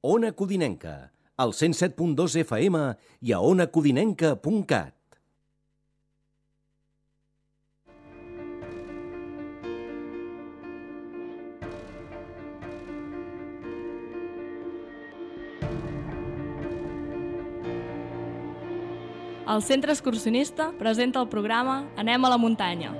Ona Codinenca, al 107.2 FM i a onacodinenca.cat. El Centre Excursionista presenta el programa Anem a la muntanya.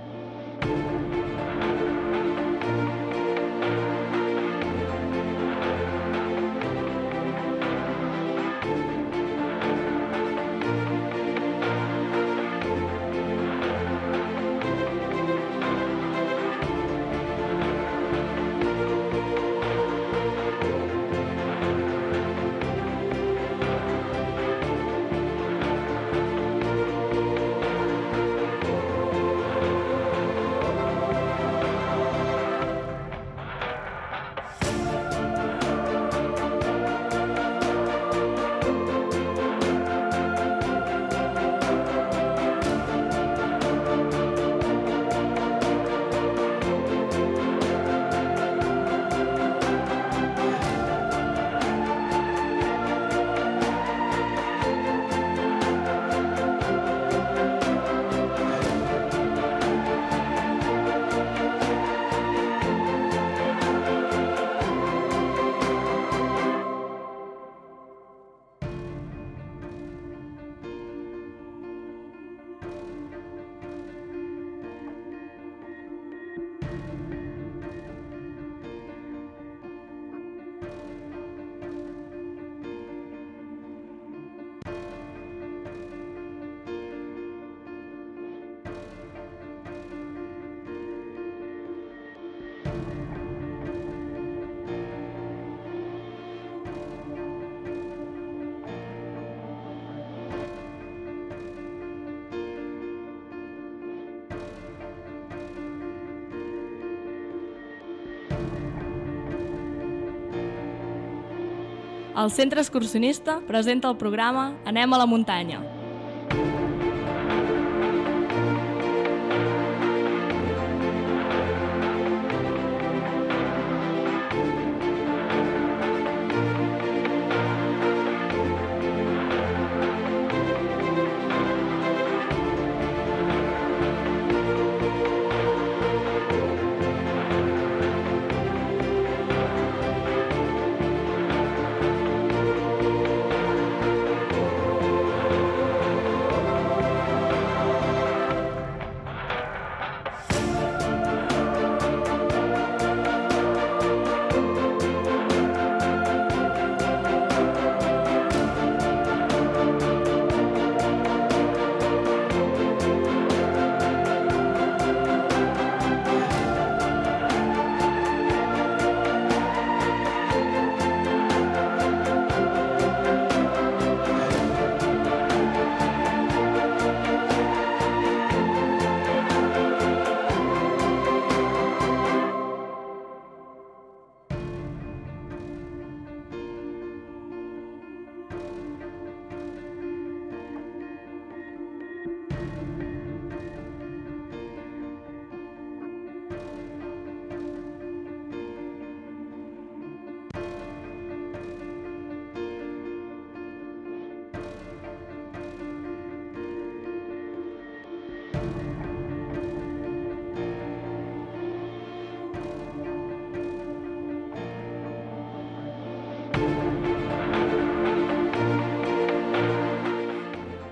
El Centre Excursionista presenta el programa Anem a la muntanya.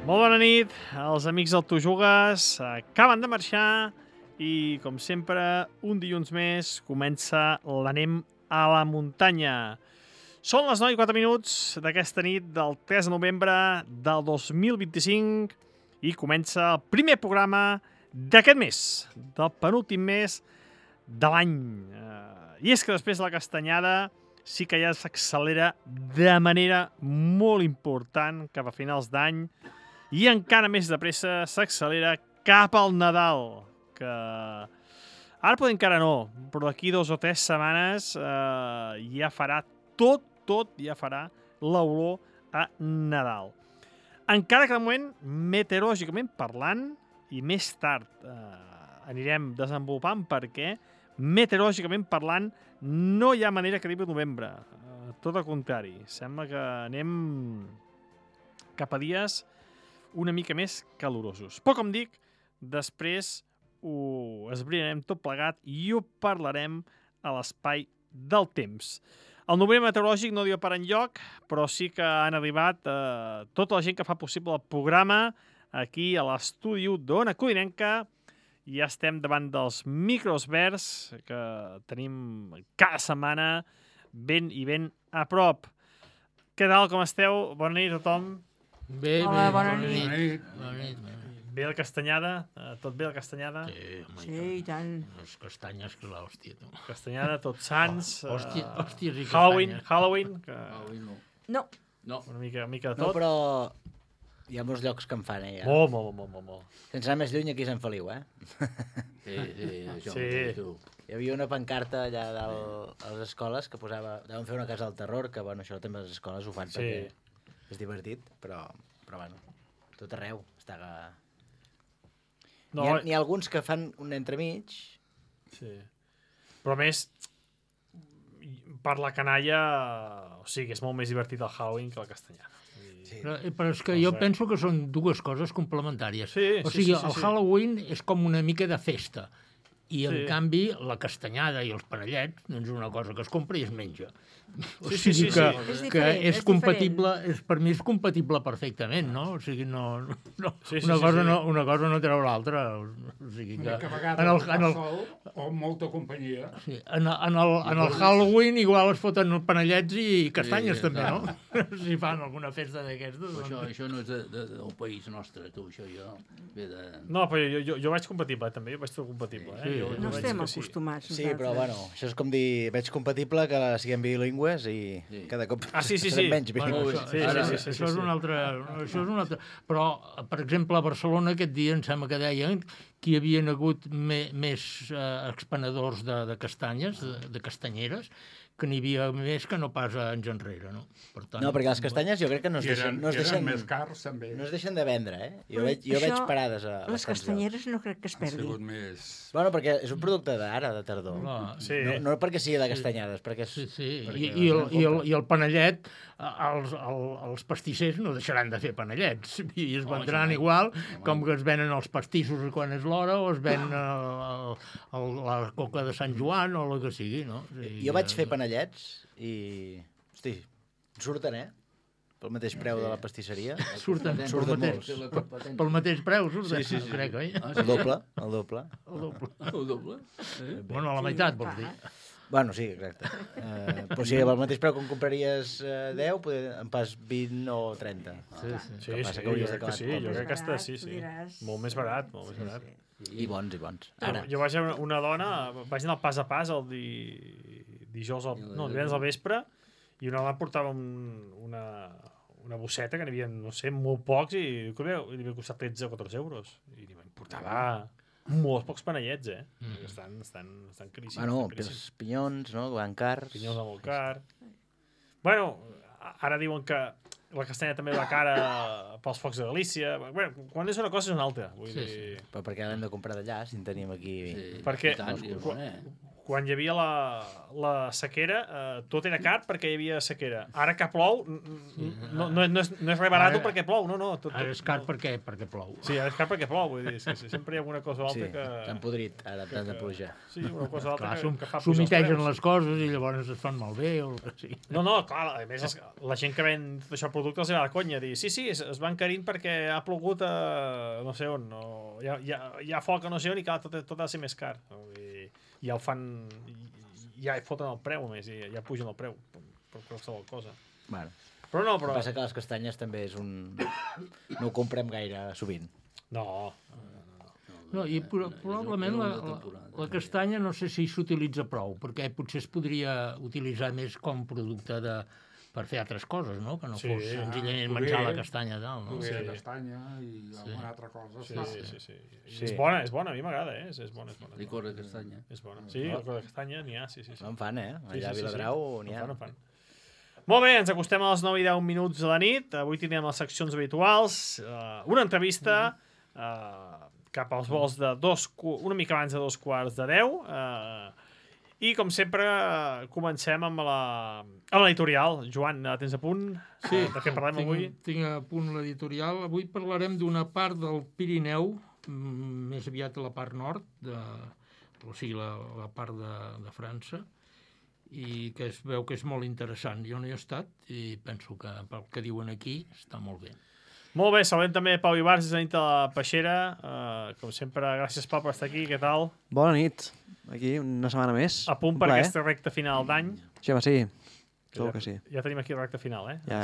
Molt bona nit, els amics del Tu Jugues acaben de marxar i, com sempre, un dilluns més comença l'Anem a la muntanya. Són les 9:04 d'aquesta nit del 3 de novembre del 2025 i comença el primer programa d'aquest mes, del penúltim mes de l'any. I és que després de la castanyada sí que ja s'accelera de manera molt important cap a finals d'any i encara més de pressa s'accelera cap al Nadal, que ara potser encara no, però d'aquí 2 o 3 setmanes ja farà ja farà l'olor a Nadal. Encara que de moment, meteorològicament parlant, i més tard anirem desenvolupant perquè meteorològicament parlant no hi ha manera que arribi a novembre. tot el contrari. Sembla que anem cap a dies una mica més calorosos. Però, com dic, després ho esbrinarem tot plegat i ho parlarem a l'espai del temps. El número meteorològic no diu per enlloc, però sí que han arribat tota la gent que fa possible el programa aquí a l'estudi d'Ona Codinenca. Ja estem davant dels micros verds que tenim cada setmana ben i ben a prop. Què tal, com esteu? Bona nit a tothom. Bé, Hola, bé, bona bona nit. nit. Bona nit. Bé la castanyada? Tot bé la castanyada? Sí, home, Sí, i tant. Les castanyes, que l'hòstia, tu. Castanyada, tots sants. Hòsties i Halloween, castanyes. Halloween, que Halloween no. No, No. una mica de No, tot. però hi ha molts llocs que en fan, ja. Molt. Sense anar més lluny, aquí a Sant Feliu, Sí, això Sí. mateix, tu. Hi havia una pancarta allà dalt a les escoles que posava... Deuen fer una casa del terror, que, bueno, això també les escoles ho fan Sí. perquè és divertit, però bueno, tot arreu està... No, N'hi ha alguns que fan un entremig. sí. Però a més, per la canalla, o sigui, és molt més divertit el Halloween que la castanyada. Sí. Però és que jo penso que són dues coses complementàries. Sí, o sí, sigui, sí, el sí. Halloween és com una mica de festa. I, en Sí. canvi, la castanyada i els panellets doncs és una cosa que es compra i es menja. O Sí, sí, sigui sí, que, sí. És que diferent, és és compatible, per mi és compatible perfectament, no? O sigui, no, Sí, sí, una, sí, cosa sí. No, una cosa no treu l'altra. O sigui que, Que a vegades en el, fa en el, sol o molta companyia. sí, en el Halloween igual es foten panellets i castanyes Sí, també, no? Si fan alguna festa d'aquestes. Però Doncs... això no és del país nostre, tu, això jo. Ve de... No, però jo vaig compatible, també, jo vaig tot compatible. Sí. Jo no veig estem que sí. acostumats. Sí, però bueno, això és com dir, veig compatible que siguem bilingües i Sí. cada cop Ah, sí, serem menys Bueno, bilingües. això, Sí, ara, sí, sí, això sí. és un altre... Això és un altre... Però, per exemple, a Barcelona aquest dia em sembla que deien que hi havien hagut més expenedors de castanyes, de castanyeres, que n'hi havia més que no pas anys enrere, no? Per tant, No, perquè les castanyes jo crec que no es I deixen, eren més cars, també. no es deixen de vendre, eh? Jo Però veig això, parades a Les bastants castanyeres no crec que es Ha sigut perdin. més... Bueno, perquè és un producte d'ara, de tardor. Clar, Sí. No perquè sigui de castanyades, perquè és... Sí, sí. perquè I el panellet, els pastissers no deixaran de fer panellets i es vendran igual com que es venen els pastissos quan és l'hora o es ven la coca de Sant Joan o el que sigui, no? O sigui, Jo vaig fer panellets i... Hosti, surten, eh? Pel mateix preu de la pastisseria. Surten Surten pel mateix preu, surten, Sí, sí, sí. crec, oi? Ah, El doble, el doble. El doble. El doble? Bueno, a la meitat, vols dir. Bueno, sí, exacte. Però si pel mateix preu que en compraries 10, en pas 20 o 30. Sí, sí. Sí, Que passa sí, que hauries jo crec que d'acabar sí, tot jo més crec que està, sí, barat, sí. tu diràs. Molt més barat, molt més barat. I bons, i bons. Ara. Ara, Jo vaig a una dona, vaig anar al pas a pas el dijous, divendres al vespre, i una dona portava una bosseta que n'hi havia, no sé, molt pocs, i li havia costat 13 o 14 euros. I em portava molts pocs panellets, eh? Estan caríssims. bueno, estan caríssims. els pinyons, no?, que van cars. Pinyons de molt car. Bueno, ara diuen que la castanya també va cara pels focs de Galícia. Bueno, quan és una cosa és una altra. Vull Sí, dir, Però perquè l'hem de comprar d'allà, si en tenim aquí... Sí, Perquè- i tant, i és quan hi havia la sequera, tot era car perquè hi havia sequera. Ara que plou, no és res barat Ara- perquè plou, no. Ara és car perquè plou. Sí, ara és car perquè plou, vull dir, és que sempre hi ha alguna cosa o Sí, altra s'han que... podrit ara tant de pluja. Sí, una cosa o altra Clar, que fa pujar els s'humitegen preus. les coses i llavors es fan malbé o el que sigui. No, clar, a més la gent que ven tot això productes els va de conya, dir, sí, es van encarint perquè ha plogut a no sé on, o hi ha foc a no sé on i clar, tot ha de ser més car. I ja ho fan, ja foten el preu més, i ja pugen el preu per qualsevol cosa. Bueno, Però no, el que passa que les castanyes també és un... No ho comprem gaire sovint. No, No, i probablement la castanya no sé si s'utilitza prou, perquè potser es podria utilitzar més com producte per fer altres coses, no? Que no Sí. fos senzillament Poder- menjar la castanya, tal, no? Poder Sí. de castanya i alguna altra cosa. sí. Sí. És bona, a mi m'agrada, és bona. Licor de castanya. És bona. Sí, licor de castanya n'hi ha, sí. No en fan, eh? Sí, Allà a sí, sí, Viladrau sí. n'hi ha. En fan. Molt bé, ens acostem a les 9 i 10 minuts de la nit. Avui tindrem les seccions habituals. Una entrevista cap als vols de una mica abans de 2:15. I, com sempre, comencem amb l'editorial. Joan, tens a punt? Sí, De què parlem avui? Tinc a punt l'editorial. Avui parlarem d'una part del Pirineu, més aviat a la part nord, o sigui, la part de França, i que es veu que és molt interessant. Jo no hi he estat i penso que pel que diuen aquí està molt bé. Molt bé, saludem també Pau Ibars des de nit de la Peixera. Com sempre, gràcies, Pau, per estar aquí. Què tal? Bona nit. Aquí, una setmana més. A punt per aquesta recta final d'any. Sí, home, sí. Segur que sí. Ja tenim aquí la recta final, eh? Ja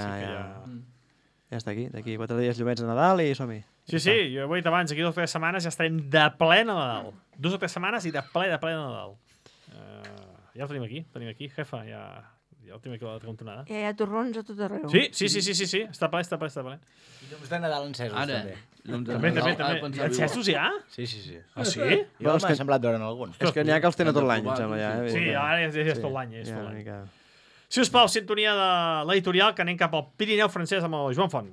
està aquí. D'aquí 4 dies llumets de Nadal i som-hi. Sí, jo ho he dit abans, aquí 2 o 3 setmanes ja estarem de ple Nadal. 2 o 3 setmanes i de ple Nadal. Ja el tenim aquí, jefa, ja el tenim aquí a la cantonada. Hi ha torrons a tot arreu. Sí. Està ple. I llums de Nadal encesos, també. També. Encesos ja? Sí. Ah, sí? Jo m'ha semblat veure'n algun. És que n'hi ha que els tenen tot l'any, em sembla, ja. Sí, ara ja és tot l'any. mica... Si us plau, sintonia de l'editorial, que anem cap al Pirineu francès amb el Joan Font.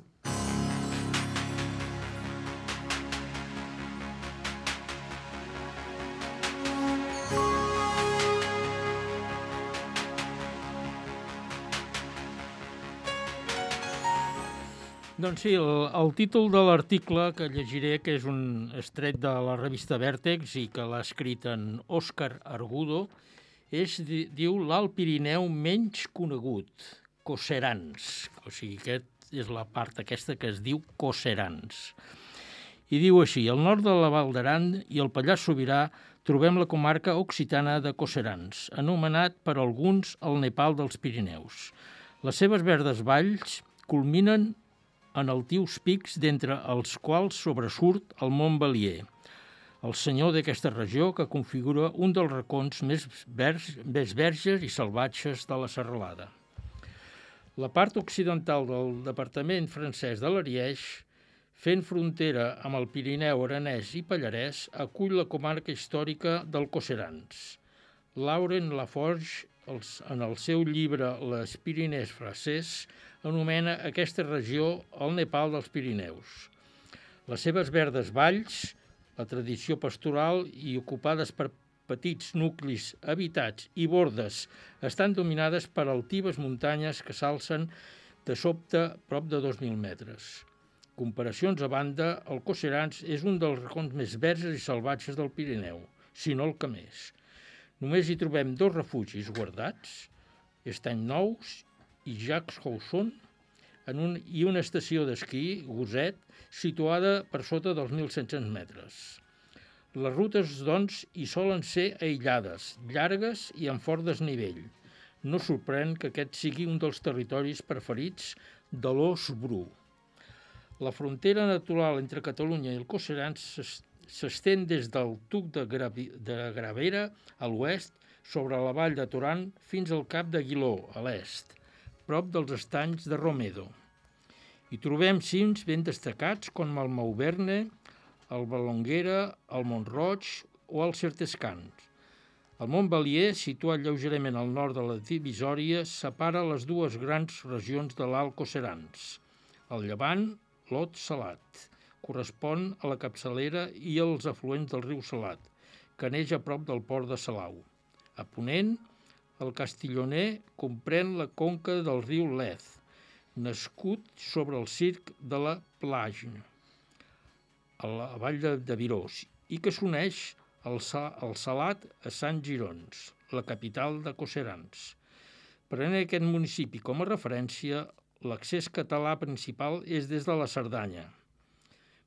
Doncs sí, el títol de l'article que llegiré, que és un estret de la revista Vèrtex i que l'ha escrit en Òscar Argudo, diu l'Alt Pirineu menys conegut, Coserans. O sigui, aquest és la part aquesta que es diu Coserans. I diu així: al nord de la Val d'Aran i el Pallars Sobirà trobem la comarca occitana de Coserans, anomenat per alguns el Nepal dels Pirineus. Les seves verdes valls culminen en altius pics d'entre els quals sobresurt el Mont Belier, el senyor d'aquesta regió que configura un dels racons més verges i salvatges de la serralada. La part occidental del departament francès de l'Ariège, fent frontera amb el Pirineu aranès i Pallarès, acull la comarca històrica del Coserans. Laurent Laforge, en el seu llibre Les Pyrénées Françaises, anomena aquesta regió el Nepal dels Pirineus. Les seves verdes valls, la tradició pastoral i ocupades per petits nuclis habitats i bordes, estan dominades per altives muntanyes que s'alcen de sobte prop de 2.000 metres. Comparacions a banda, el Coserans és un dels racons més verges i salvatges del Pirineu, si no el que més. Només hi trobem 2 refugis guardats, Estany Nous i Jacques Hausson, i una estació d'esquí, Gosset, situada per sota dels 1.700 metres. Les rutes, doncs, hi solen ser aïllades, llargues i amb fort desnivell. No sorprèn que aquest sigui un dels territoris preferits de l'ós bru. La frontera natural entre Catalunya i el Coserans s'estén des del Tuc de Gravera a l'oest, sobre la vall de Toran fins al cap d'Aguiló, a l'est, prop dels estanys de Romedo. Hi trobem cims ben destacats com el Mauverne, el Valonguera, el Mont-roig o el Certescans. El Mont Belier, situat lleugerament al nord de la divisòria, separa les dues grans regions de l'Alt Coserans. Al llevant, l'Ot Salat correspon a la capçalera i als afluents del riu Salat, que neix a prop del port de Salau. A ponent, el Castillonner comprèn la conca del riu Lez, nascut sobre el circ de la Plage, a la vall de Virós, i que s'uneix al Salat a Sant Girons, la capital de Coserans. Prenent aquest municipi com a referència, l'accés català principal és des de la Cerdanya,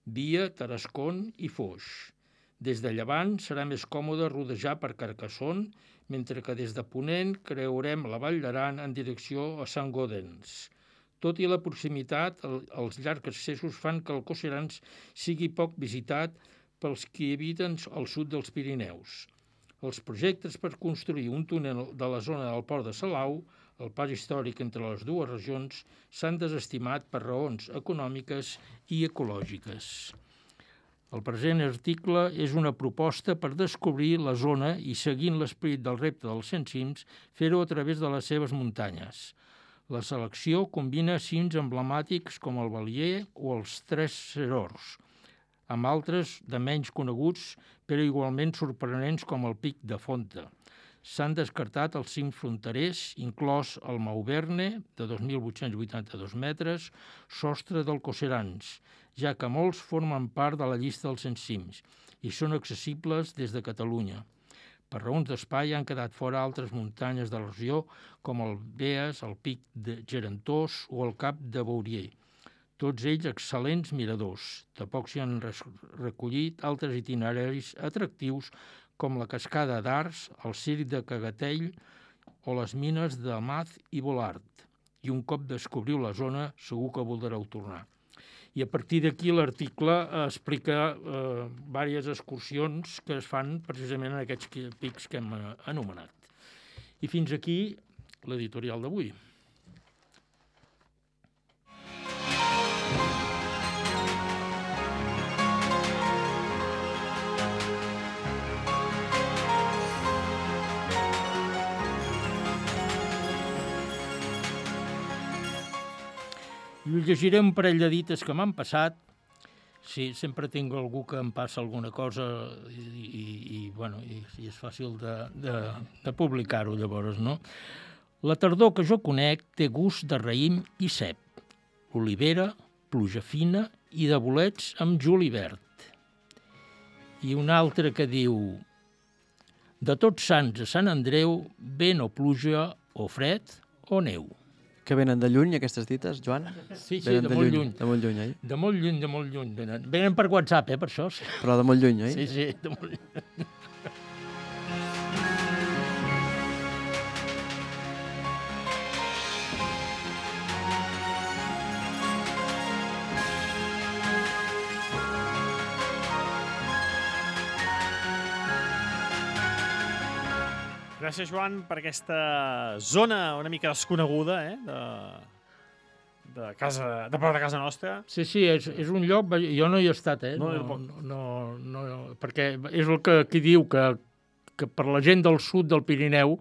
via Tarascon i Foix. Des de llevant serà més còmode rodejar per Carcassonne, mentre que des de ponent creurem la Vall d'Aran en direcció a Sant Gaudens. Tot i la proximitat, els llargs accessos fan que el Coserans sigui poc visitat pels qui habiten al sud dels Pirineus. Els projectes per construir un túnel de la zona del port de Salau, el pas històric entre les dues regions, s'han desestimat per raons econòmiques i ecològiques. El present article és una proposta per descobrir la zona i, seguint l'esperit del repte dels 100 cims, fer-ho a través de les seves muntanyes. La selecció combina cims emblemàtics com el Belier o els Tres Serors, amb altres de menys coneguts, però igualment sorprenents com el Pic de Fonta. S'han descartat els 5 fronterers, inclòs el Mauverne, de 2.882 metres, sostre del Coserans, ja que molts formen part de la llista dels 100 cims i són accessibles des de Catalunya. Per raons d'espai han quedat fora altres muntanyes de la regió, com el Beas, el Pic de Gerentós o el Cap de Bourier. Tots ells excel·lents miradors. Tampoc s'hi han recollit altres itineraris atractius com la cascada d'Ars, el circ de Cagatell o les mines de Maz i Volart. I un cop descobriu la zona, segur que voldreu tornar. I a partir d'aquí l'article explica diverses excursions que es fan precisament en aquests pics que hem anomenat. I fins aquí l'editorial d'avui. I us llegiré un parell de dites que m'han passat. Sí, sempre tinc algú que em passa alguna cosa i és fàcil de publicar-ho llavors, no? La tardor que jo conec té gust de raïm i cep, olivera, pluja fina i de bolets amb julivert. I una altra que diu: de Tots Sants a Sant Andreu, vent o pluja o fred o neu. Que venen de lluny, aquestes dites, Joan? Sí, de molt lluny. De molt lluny, oi? De molt lluny. Venen per WhatsApp, per això. Però de molt lluny, oi? Sí, de molt lluny. Gràcies, Joan, per aquesta zona una mica desconeguda, de prop de casa nostra. Sí, és un lloc... Jo no hi he estat, No, perquè és el que aquí diu que per la gent del sud del Pirineu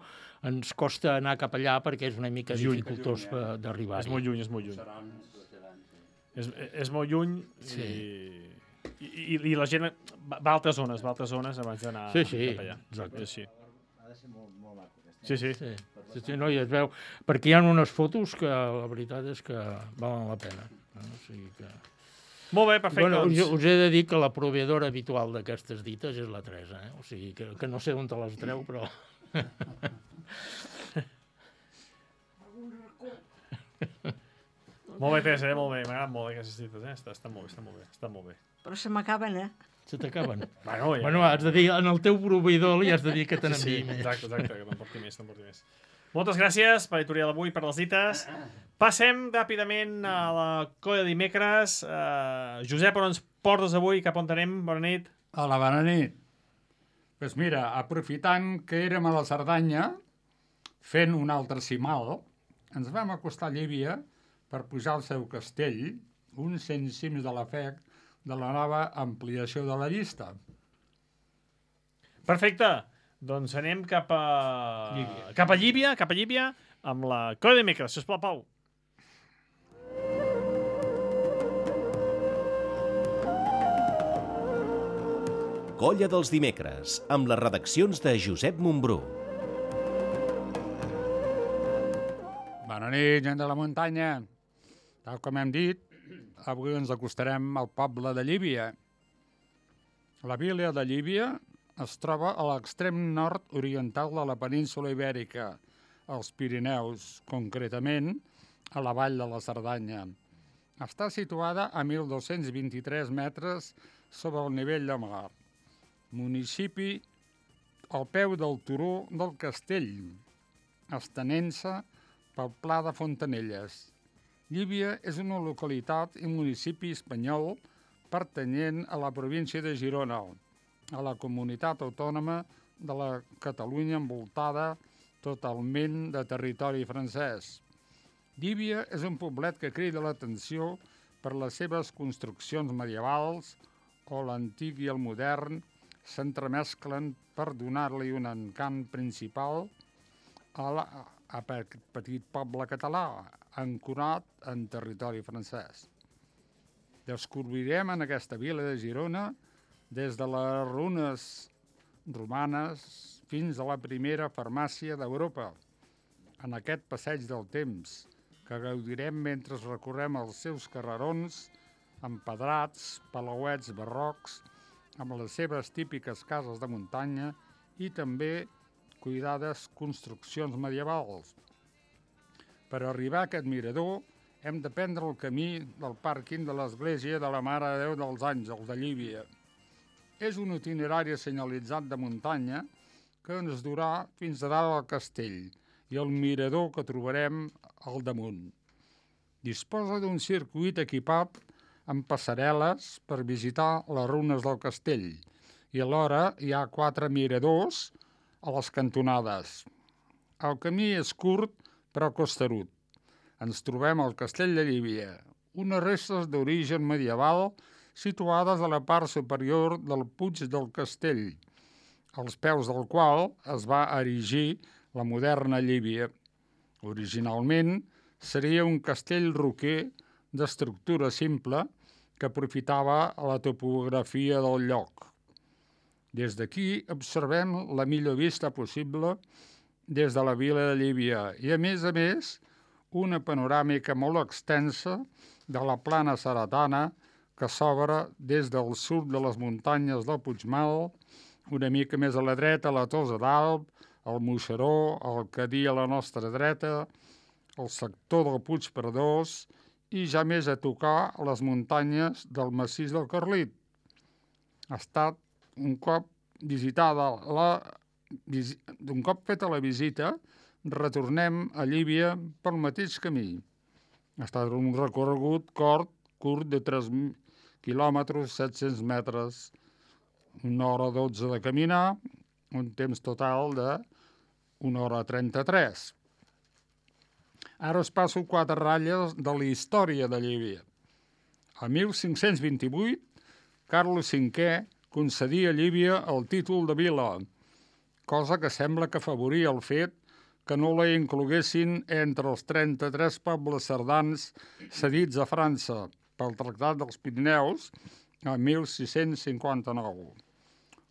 ens costa anar cap allà perquè és una mica dificultós d'arribar. És molt lluny. És molt lluny i la gent va a altres zones abans d'anar cap allà. Exacte. Sí. Ha de ser molt maco. Sí, no, i es veu, perquè hi ha unes fotos que la veritat és que valen la pena. O sigui que... Molt bé, perfecte. Bueno, us he de dir que la proveïdora habitual d'aquestes dites és la Teresa, O sigui que no sé on te les treu, però... Molt bé, Teresa, molt bé. M'agraden molt aquestes dites, Estan molt bé. Però se m'acaben, Se t'acaben. Bueno, has de dir, en el teu proveïdor li has de dir que te n'enviï més. Exacte, que t'emporti més. Moltes gràcies per l'editorial d'avui, per les dites. Passem ràpidament a la colla de dimecres. Josep, on ens portes avui? Cap on anem? Bona nit. Hola, bona nit. Doncs mira, aprofitant que érem a la Cerdanya, fent un altre cimal, ens vam acostar a Llívia per pujar al seu castell, uns 100 cims de la FEC, de la nova ampliació de la llista. Perfecte. Doncs anem cap a Llívia, amb la colla de dimecres. Sisplau, Pau. Colla dels dimecres, amb les redaccions de Josep Montbrú. Bona nit, gent de la muntanya. Tal com hem dit, avui ens acostarem al poble de Llívia. La vila de Llívia es troba a l'extrem nord-oriental de la península Ibèrica, als Pirineus, concretament a la vall de la Cerdanya. Està situada a 1.223 metres sobre el nivell de mar. Municipi al peu del turó del castell, estenent-se pel Pla de Fontanelles. Llívia és una localitat i municipi espanyol pertanyent a la província de Girona, a la comunitat autònoma de la Catalunya envoltada totalment de territori francès. Llívia és un poblet que crida l'atenció per les seves construccions medievals, o l'antic i el modern s'entremesclen per donar-li un encant principal a aquest petit poble català, ancorat en territori francès. Descobrirem en aquesta vila de Girona, des de les runes romanes, fins a la primera farmàcia d'Europa. En aquest passeig del temps, que gaudirem mentre recorrem els seus carrerons empedrats, palauets barrocs, amb les seves típiques cases de muntanya i també cuidades construccions medievals. Per arribar a aquest mirador hem de prendre el camí del pàrquing de l'església de la Mare de Déu dels Àngels de Llívia. És un itinerari senyalitzat de muntanya que ens durà fins a dalt al castell i el mirador que trobarem al damunt. Disposa d'un circuit equipat amb passarel·les per visitar les runes del castell i alhora hi ha 4 miradors a les cantonades. El camí és curt però costerut. Ens trobem al castell de Llívia, unes restes d'origen medieval situades a la part superior del Puig del Castell, als peus del qual es va erigir la moderna Llívia. Originalment seria un castell roquer d'estructura simple que aprofitava la topografia del lloc. Des d'aquí observem la millor vista possible des de la vila de Llívia i, a més, una panoràmica molt extensa de la plana seretana que s'obre des del sud de les muntanyes del Puigmal, una mica més a la dreta la Tossa d'Alb, el Moixeró, el Cadí a la nostra dreta, el sector del Puig Perdós i ja més a tocar les muntanyes del massís del Carlit. Ha estat un cop feta la visita, retornem a Llívia pel mateix camí. Ha estat un recorregut curt de 3 quilòmetres, 700 metres, 1 hora 12 de caminar, un temps total de 1 hora 33. Ara us passo 4 ratlles de la història de Llívia. A 1528, Carles V concedia a Llívia el títol de vila, cosa que sembla que afavoria el fet que no la incloguessin entre els 33 pobles cerdans cedits a França pel Tractat dels Pirineus a 1659.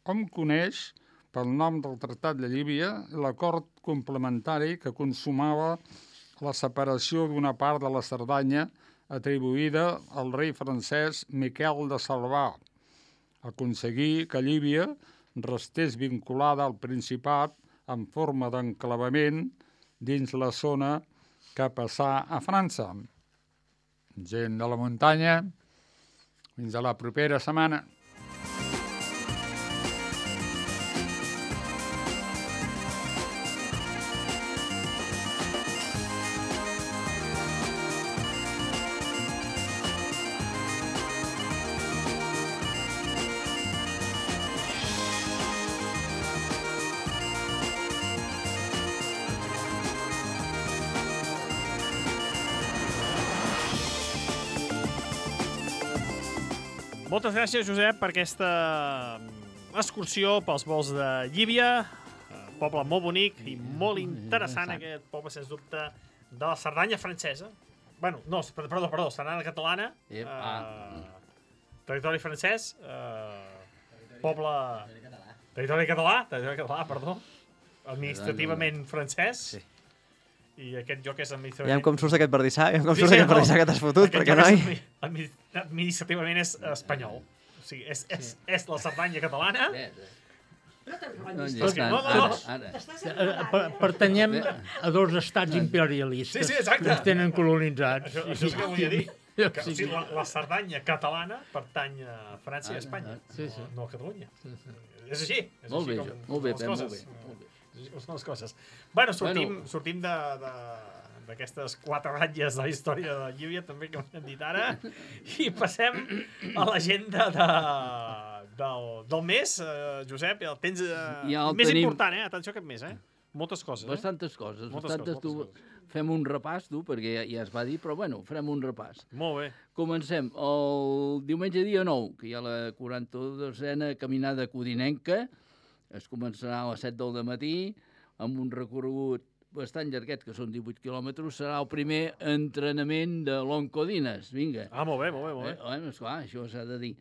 Hom coneix pel nom del Tractat de Llívia l'acord complementari que consumava la separació d'una part de la Cerdanya atribuïda al rei francès Miquel de Salvà. Aconseguir que Llívia restés vinculada al Principat en forma d'enclavament dins la zona que passà a França. Gent de la muntanya, fins a la propera setmana. Moltes gràcies, Josep, per aquesta excursió pels vols de Llívia, poble molt bonic i molt interessant, aquest poble, sens dubte, de la Cerdanya francesa. Bueno, no, perdó, Cerdanya catalana, territori francès, poble... Territori català, perdó, administrativament francès. Sí. I aquest joc és administrativament... Veiem com surts aquest pardissà, que t'has fotut, perquè noi... Administrativament és espanyol. O sigui, és la Cerdanya catalana. Pertanyem a 2 estats imperialistes que ens tenen colonitzats. Això és que volia dir. La Cerdanya catalana pertany a França i a Espanya, no a Catalunya. És així. Molt bé, molt bé. Són les coses. Bueno, sortim d'aquestes 4 ratlles de la història de Llívia, també, que m'han dit ara, i passem a l'agenda del mes, Josep, el tens més important, atenció aquest mes, moltes coses. Bastantes coses. Fem un repàs, perquè ja es va dir, però bueno, farem un repàs. Molt bé. Comencem el diumenge dia 9, que hi ha la 42a caminada codinenca. Es començarà a les 7 del matí, amb un recorregut bastant llarguet, que són 18 quilòmetres. Serà el primer entrenament de l'Oncodines. Vinga. Molt bé. Esclar, això s'ha de dir.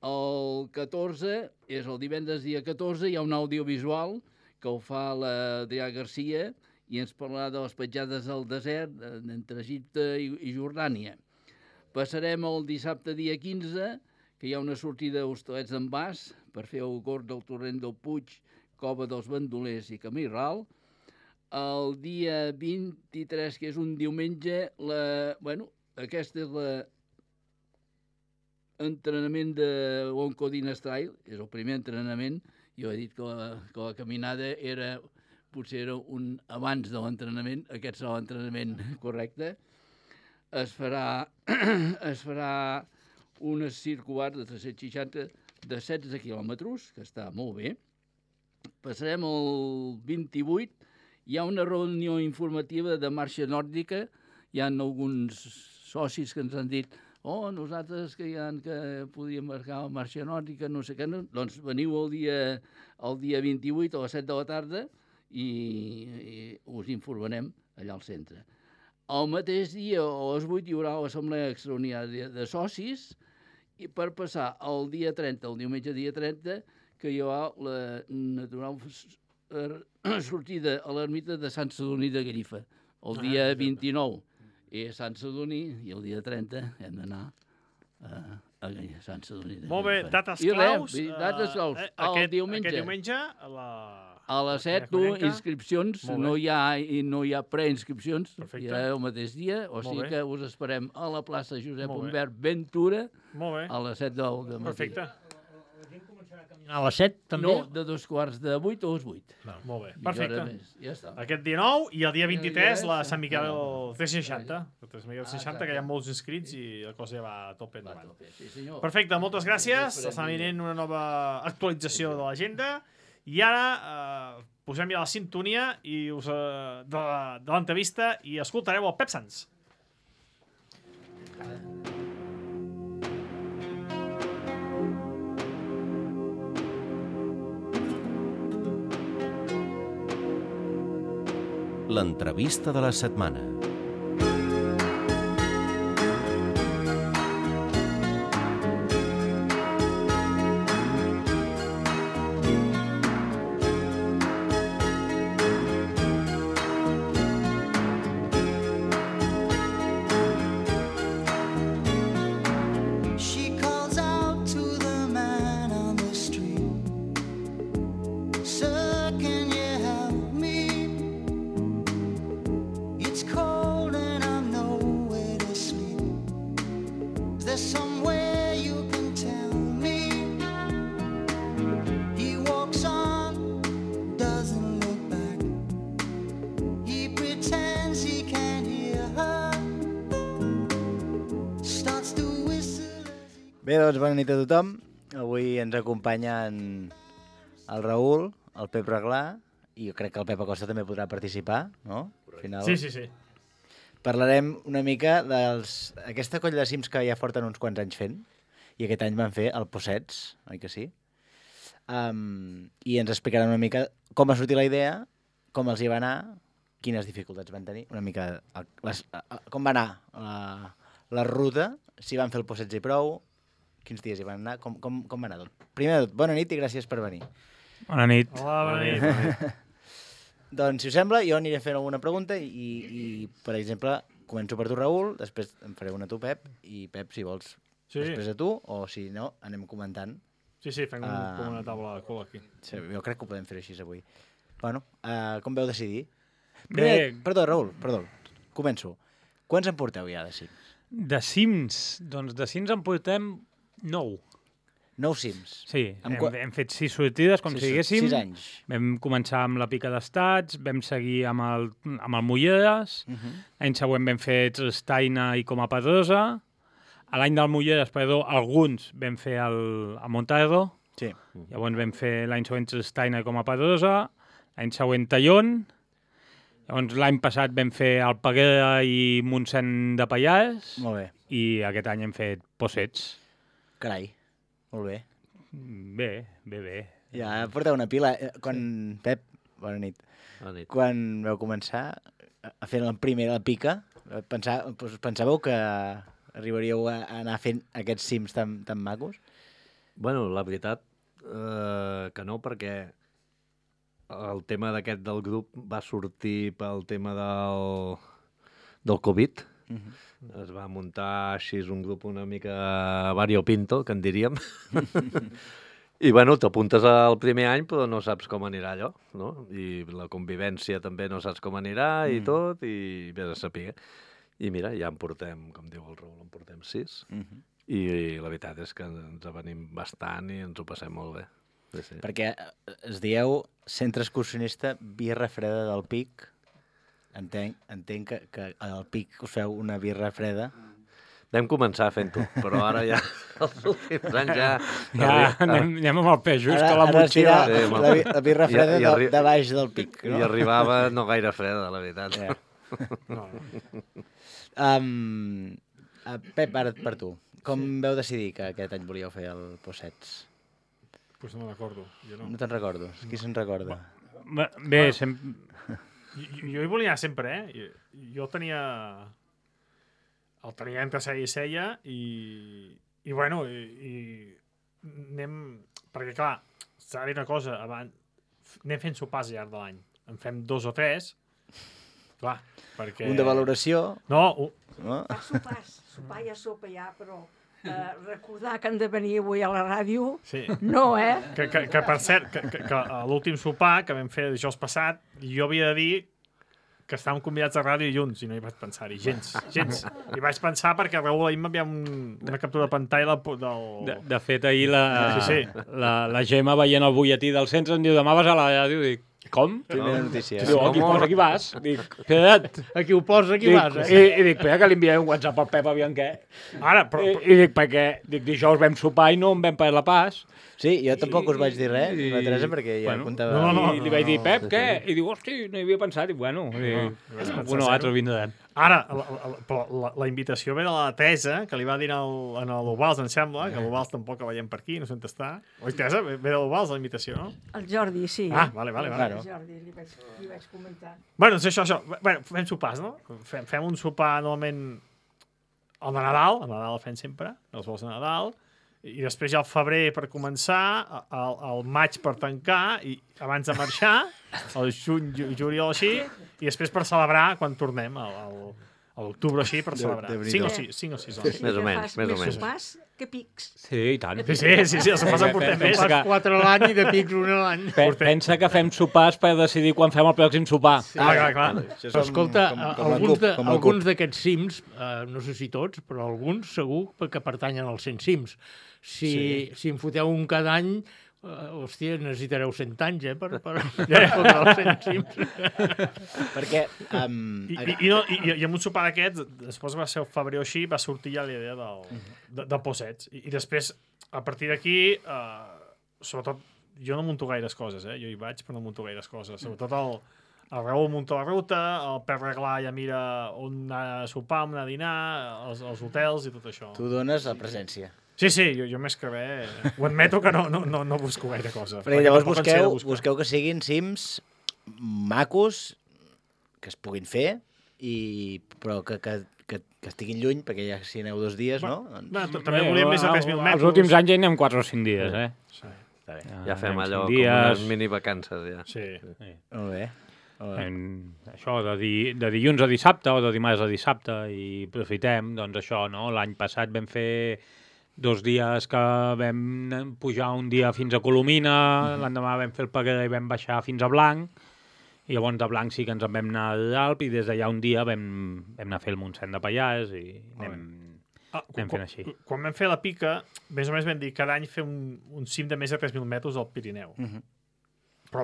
El 14, és el divendres dia 14, hi ha un audiovisual que ho fa l'Adrià Garcia i ens parlarà de les petjades al desert entre Egipte i Jordània. Passarem el dissabte dia 15, que hi ha una sortida d'Hostalets d'en Bas per fer el Gord del Torrent del Puig, Cova dels Bandolers i Camí Ral. El dia 23, que és un diumenge, aquest és l'entrenament de l'Oncodines Trail, és el primer entrenament. Jo he dit que la caminada potser era un abans de l'entrenament, aquest serà l'entrenament correcte. Es farà una circular de 360 de 16 quilòmetres, que està molt bé. Passarem el 28, hi ha una reunió informativa de marxa nòrdica, hi ha alguns socis que ens han dit nosaltres que podíem marcar la marxa nòrdica, no sé què, doncs veniu el dia 28 a les 7 de la tarda i us informarem allà al centre. El mateix dia, a les 8, hi haurà l'assemblea extraordinària de socis i per passar el dia 30, el diumenge dia 30, que hi haurà la natural sortida a l'ermita de Sant Sadurní de Gallifa. El dia 29 és Sant Sadurní i el dia 30 hem d'anar a Sant Sadurní de Gallifa. Molt bé, dates claus. Dates claus. Aquest diumenge a les 7, inscripcions, no hi ha preinscripcions, hi ha el mateix dia, o sigui que us esperem a la plaça Josep Humbert Ventura a les 7 del matí. Perfecte. A les 7 també? No, de 7:15 a les 8. Molt bé, perfecte. Ja està. Aquest dia 9 i el dia 23 la Sant Miquel C60. El Sant Miquel C60, que hi ha molts inscrits i la cosa ja va a tope endavant. Perfecte, moltes gràcies. Està venint una nova actualització de l'agenda. I ara posem ja la sintonia de l'entrevista i escoltareu el Pep Sans. L'entrevista de la setmana. Bé, doncs bona nit a tothom. Avui ens acompanyen el Raül, el Pep Reglà, i jo crec que el Pep Acosta també podrà participar, no? Al final... Sí. Parlarem una mica d'aquesta colla de cims que ja porten uns quants anys fent, i aquest any van fer el Possets, oi que sí? I ens explicaran una mica com va sortir la idea, com els hi va anar, quines dificultats van tenir, una mica com va anar la ruta, si van fer el Possets i prou, quins dies hi van anar, com va anar tot. Primer de tot, bona nit i gràcies per venir. Bona nit. Hola, bona nit. Doncs, si us sembla, jo aniré fent alguna pregunta i per exemple, començo per tu, Raül, després em faré una a tu, Pep, i Pep, si vols, després a tu, o si no, anem comentant. Sí, fem com una taula de cul aquí. Sí, jo crec que ho podem fer així avui. Bueno, com veu decidir? Primer, perdó, Raül, començo. Quants en porteu ja de cims? De cims? Doncs de cims en portem 9. 9 cims? Sí, hem fet 6 sortides, com si diguéssim. 6 anys. Vam començar amb la Pica d'Estats, vam seguir amb el Mulleres, l'any següent vam fer Trestaina i Coma Pedrosa, a l'any del Mulleres, alguns vam fer el Montardo, llavors vam fer l'any següent Trestaina i Coma Pedrosa, l'any següent Tallón, llavors l'any passat vam fer el Peguera i Montseny de Pallars, i aquest any hem fet Possets. Carai, molt bé. Bé. Ja porteu una pila. Pep, bona nit. Quan vau començar a fer la pica, pensàveu que arribaríeu a anar fent aquests cims tan macos? Bueno, la veritat que no, perquè el tema d'aquest del grup va sortir pel tema del Covid. Es va muntar així un grup una mica variopinto, que en diríem. I, bueno, t'apuntes al primer any, però no saps com anirà allò, no? I la convivència també no saps com anirà i tot, i vés a saber. I mira, ja en portem, com diu el Raül, en portem 6. I la veritat és que ens avenim bastant i ens ho passem molt bé. Sí, sí. Perquè es dieu Centre Excursionista Birra Freda del Pic. Entenc que al Pic us feu una birra freda. Vam començar fent-ho, però ara ja, els últims anys ja... Anem amb el pes just a la motxilla. La birra freda de baix del Pic. I arribava no gaire freda, la veritat. Pep, ara per tu. Com vau decidir que aquest any volíeu fer el Possets? Pues no me'n recordo. No te'n recordo. Qui se'n recorda? Bé, sempre... Jo hi volia anar sempre, Jo tenia... El tenia entre seia i seia i bueno, anem... Perquè, clar, s'ha de dir una cosa, anem fent sopars al llarg de l'any. En fem 2 o 3, clar, perquè... Un de valoració? No, Fa sopars, sopar ja sopa ja, però recordar que han de venir avui a la ràdio, sí. No, Que per cert, que a l'últim sopar que vam fer dijous passat, jo havia de dir que estàvem convidats a ràdio dilluns i no hi vaig pensar-hi, gens. I vaig pensar perquè Raül ahir m'havia una captura de pantalla del... De fet, ahir la Gemma veient el butlletí del centre em diu, demà vas a la ràdio, dic, com? Primera notícia. Diu, aquí posa, aquí vas. Dic, espera't. Aquí ho posa, aquí vas. I dic, espera que li enviaré un WhatsApp al Pep, aviam què. I dic, perquè dijous vam sopar i no em vam parlar pas. Sí, jo tampoc us vaig dir res, la Teresa, perquè ja apuntava... I li vaig dir, Pep, què? I diu, hosti, no hi havia pensat. I bueno, un o altre vindran. Ara, la invitació ve de la Teresa, que li va dir en l'Ovals, em sembla, que l'Ovals tampoc la veiem per aquí, no sé on està. Oi, Teresa, ve de l'Ovals la invitació, no? El Jordi, sí. Ah, vale. El Jordi, li vaig comentar. Bueno, doncs això. Bueno, fem sopars, no? Fem un sopar, normalment, el de Nadal. El Nadal el fem sempre, els vols de Nadal. I després ja al febrer per començar, al maig per tancar, i abans de marxar, al juny, juliol així, i després per celebrar quan tornem, a l'octubre així, per celebrar. 5 o 6 hores. Més o menys. Més sopars que pics. Sí, i tant. Sí, els sopars en portem més. Sopars 4 a l'any i de pics 1 a l'any. Pensa que fem sopars per decidir quan fem el pròxim sopar. Clar. Però escolta, alguns d'aquests cims, no sé si tots, però alguns segur que pertanyen als 100 cims. Si en foteu un cada any, hòstia, necessitareu 100 anys, per fotre els 100 cims. Perquè... I amb un sopar d'aquests, després va ser el febrer o així, va sortir ja la idea del Possets. I després, a partir d'aquí, sobretot, jo no munto gaires coses, Jo hi vaig, però no munto gaires coses. Sobretot el Raül munta la ruta, el Pep Reglà ja mira on anar a sopar, on anar a dinar, els hotels i tot això. Tu dones la presència. Sí, jo més que bé, ho admeto que no busco gaire cosa. Perquè llavors busqueu que siguin cims macos, que es puguin fer, però que estiguin lluny, perquè ja si aneu 2 dies, no? També volíem més de 3.000 metres. Els últims anys ja anem 4 o 5 dies, Sí. Està bé. Ja fem allò com unes minivacances, ja. Sí. Molt bé. Això, de dilluns a dissabte o de dimarts a dissabte, i aprofitem, doncs això, no? L'any passat vam fer 2 dies que vam pujar un dia fins a Colomina, l'endemà vam fer el Peguera i vam baixar fins a Blanc, i llavors de Blanc sí que ens en vam anar a l'Alp, i des d'allà un dia vam anar a fer el Montseny de Pallars, i anem fent així. Quan vam fer la pica, més o menys vam dir cada any fer un cim de més de 3.000 metres al Pirineu. Però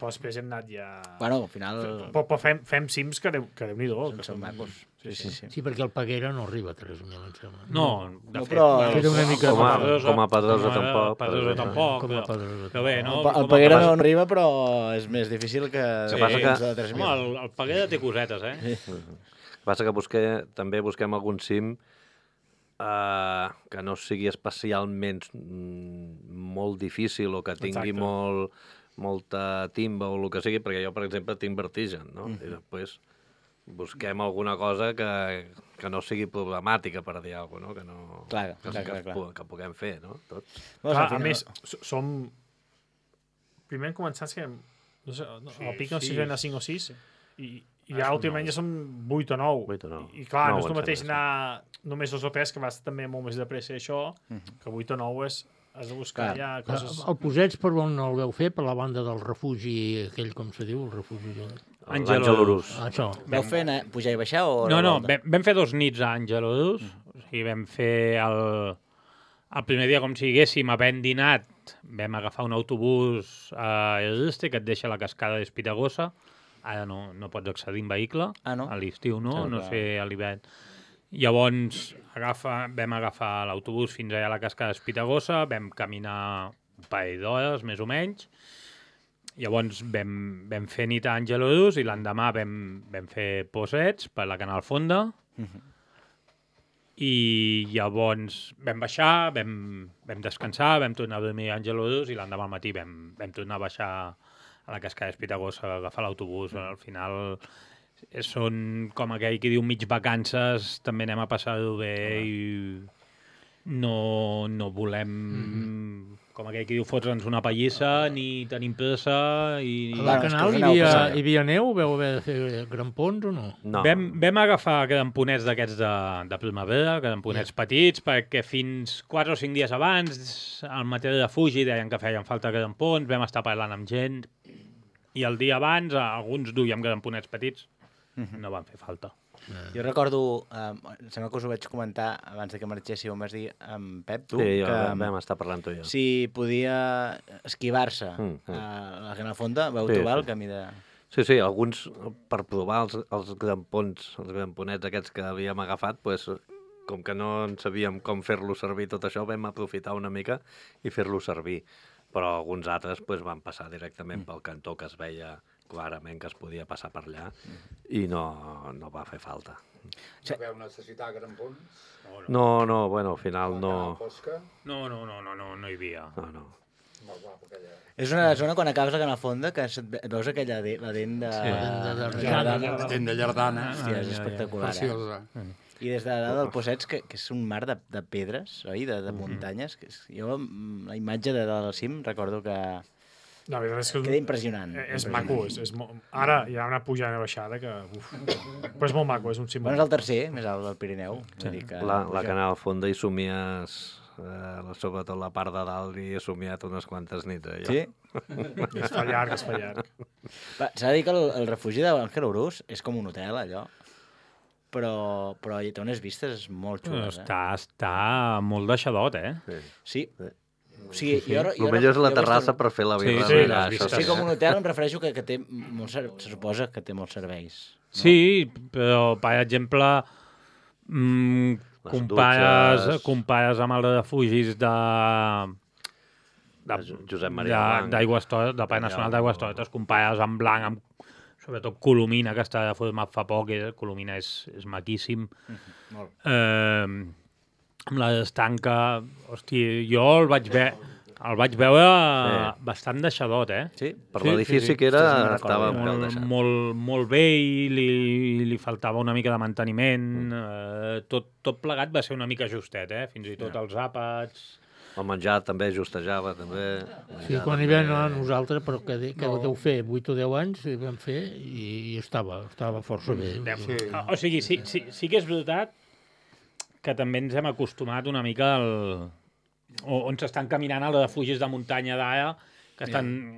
després hem anat ja... Bueno, al final... Però fem cims que Déu-n'hi-do. Que són macos. Sí, perquè el Peguera no arriba a 3.000, em sembla. No, de fet, era una mica... Com a Pedrosa tampoc. Pedrosa tampoc. Però bé, no? El Peguera no arriba, però és més difícil que... El Peguera té cosetes, El que passa que també busquem algun cim que no sigui especialment molt difícil o que tingui molta timba o el que sigui, perquè jo, per exemple, tinc vertigen, no? I després busquem alguna cosa que no sigui problemàtica, per dir alguna cosa, no? Clar. Que puguem fer, no? Tots. Clar, a més, som... Primer hem començat, no sé, al pic no sé si eren a 5 o 6, i ja últimament ja som 8 o 9. I clar, no és el mateix anar només 2 o 3, que va estar també molt més de pressa això, que 8 o 9 has de buscar ja coses... El Posets per on el veu fer? Per la banda del refugi, aquell com se diu, el refugi... Àngel Orús. Això. Vau fer pujar i baixar o... No, vam fer 2 nits a Àngel Orús, o sigui, vam fer el primer dia com si diguéssim, havent dinat, vam agafar un autobús a Este, que et deixa a la cascada d'Espitagosa. Ara no pots accedir en vehicle, a l'estiu no sé a l'hivern. Llavors vam agafar l'autobús fins allà a la cascada d'Espitagosa, vam caminar un parell d'hores, més o menys. Llavors vam fer nit a Àngel Orús i l'endemà vam fer Posets per la Canal Fonda. I llavors vam baixar, vam descansar, vam tornar a dormir a Àngel Orús i l'endemà al matí vam tornar a baixar a la cascada d'Espitagosa a agafar l'autobús. Al final són, com aquell que diu, mig vacances, també anem a passar-ho bé i no volem, com aquell que diu, fotre'ns una pallissa, ni tenim pressa. A la Canal hi havia neu? Vau haver de fer grampons o no? No. Vam agafar gramponets d'aquests de primavera, gramponets petits, perquè fins 4 o 5 dies abans, al mateix refugi, deien que feien falta grampons, vam estar parlant amb gent, i el dia abans alguns duíem gramponets petits, no van fer falta. Jo recordo, sembla que us ho vaig comentar abans que marxéssiu, em vas dir amb Pep, tu, sí, que vam estar parlant tu i jo. Si podia esquivar-se a la Canal Fonda, vau trobar el camí de... Sí, alguns, per provar els grampons, els gramponets aquests que havíem agafat, pues, com que no en sabíem com fer-lo servir tot això, vam aprofitar una mica i fer-lo servir. Però alguns altres pues, van passar directament pel cantó, que es veia clarament que es podia passar per allà, i no va fer falta. No veu necessitar grampons? No, bueno, al final no... No hi havia. No. És una zona, quan acabes la Canal Fonda, que veus aquella la dent de... La dent de Llardana. Hòstia, és espectacular. Preciosa. I des de dalt del Posets, que és un mar de pedres, oi? De muntanyes. Jo, la imatge de dalt al cim, recordo que... La veritat és que queda impressionant. És maco. Ara hi ha una pujada i baixada que... Però és molt maco, és un cim. Bueno, és el tercer més alt del Pirineu. La Canal Fonda hi somies... sobretot la part de dalt hi he somiat unes quantes nits. Sí? Es fa llarg. S'ha de dir que el refugi d'Àngel Orús és com un hotel, allò. Però hi té unes vistes molt xules. Està molt deixadot, Sí. O sigui, el millor és la terrassa per fer la birra. Sí, com un hotel em refereixo que té se suposa que té molts serveis. No? Sí, però, per exemple, compares amb el refugis de Josep Maria Blanc, del Parc Nacional d'Aigües Tortes, compares amb Blanc, amb sobretot Colomina, que està format fa poc, Colomina és maquíssim. Amb la estanca, hòstia, jo el vaig veure bastant deixadot, Sí, per l'edifici que era, estava molt bé i li faltava una mica de manteniment. Tot plegat va ser una mica justet, fins i tot els àpats... El menjar també justejava, també. Sí, quan hi vam anar nosaltres, però que deu fer 8 o 10 anys, vam fer i estava força bé. O sigui, sí que és veritat que també ens hem acostumat una mica on s'estan caminant els refugis de muntanya d'ara, que estan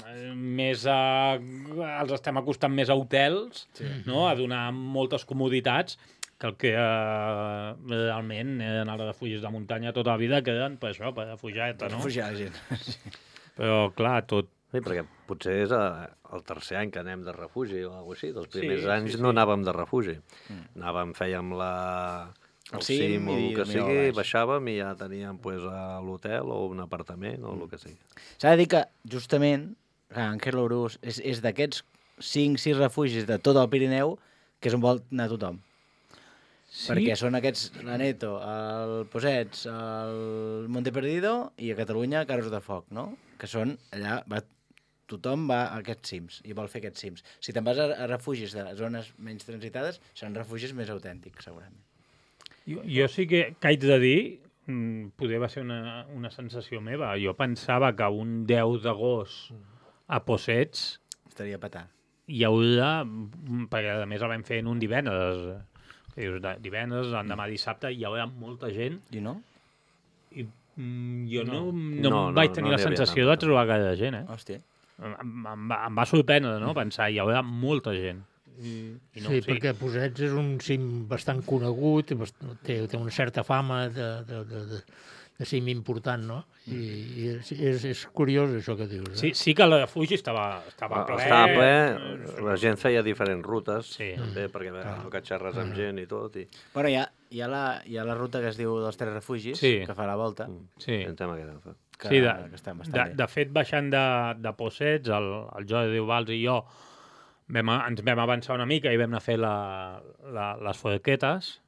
els estem acostant més a hotels, no? A donar moltes comoditats, que el que realment eren els refugis de muntanya tota la vida queden per això, per refugiar-te, no? Refugiar la gent. Però, clar, tot... Sí, perquè potser és el tercer any que anem de refugi o alguna cosa així. Els primers anys no anàvem de refugi. Fèiem el cim o el que sigui, baixàvem i ja teníem l'hotel o un apartament o el que sigui. S'ha de dir que, justament, Àngel Orús és d'aquests 5-6 refugis de tot el Pirineu que és on vol anar tothom. Sí? Perquè són aquests, l'Aneto, el Posets, el Monte Perdido i a Catalunya Carros de Foc, no? Que són allà, tothom va a aquests cims i vol fer aquests cims. Si te'n vas a refugis de zones menys transitades, seran refugis més autèntics, segurament. Jo sí que haig de dir, poder va ser una sensació meva, jo pensava que un 10 d'agost a Possets estaria petar. Hi haurà, perquè a més el vam fer en un divendres, que dius, divendres, l'endemà dissabte, hi haurà molta gent. I no? I jo no vaig tenir la sensació de trobar gaire gent, Hòstia. Em va sorprendre, no?, pensar, hi haurà molta gent. I no, sí, perquè Possets és un cim bastant conegut, té una certa fama de cim important, no? I és curiós això que dius. Sí que el refugi estava ple. Estava ple, la gent feia diferents rutes, també, perquè que xerres amb gent i tot. Bueno, hi ha la ruta que es diu dels 3 refugis, que fa la volta. Sí, que està bastant bé. De fet, baixant de Possets, el Jordi Valls i jo ens vam avançar una mica i vam anar a fer les forquetes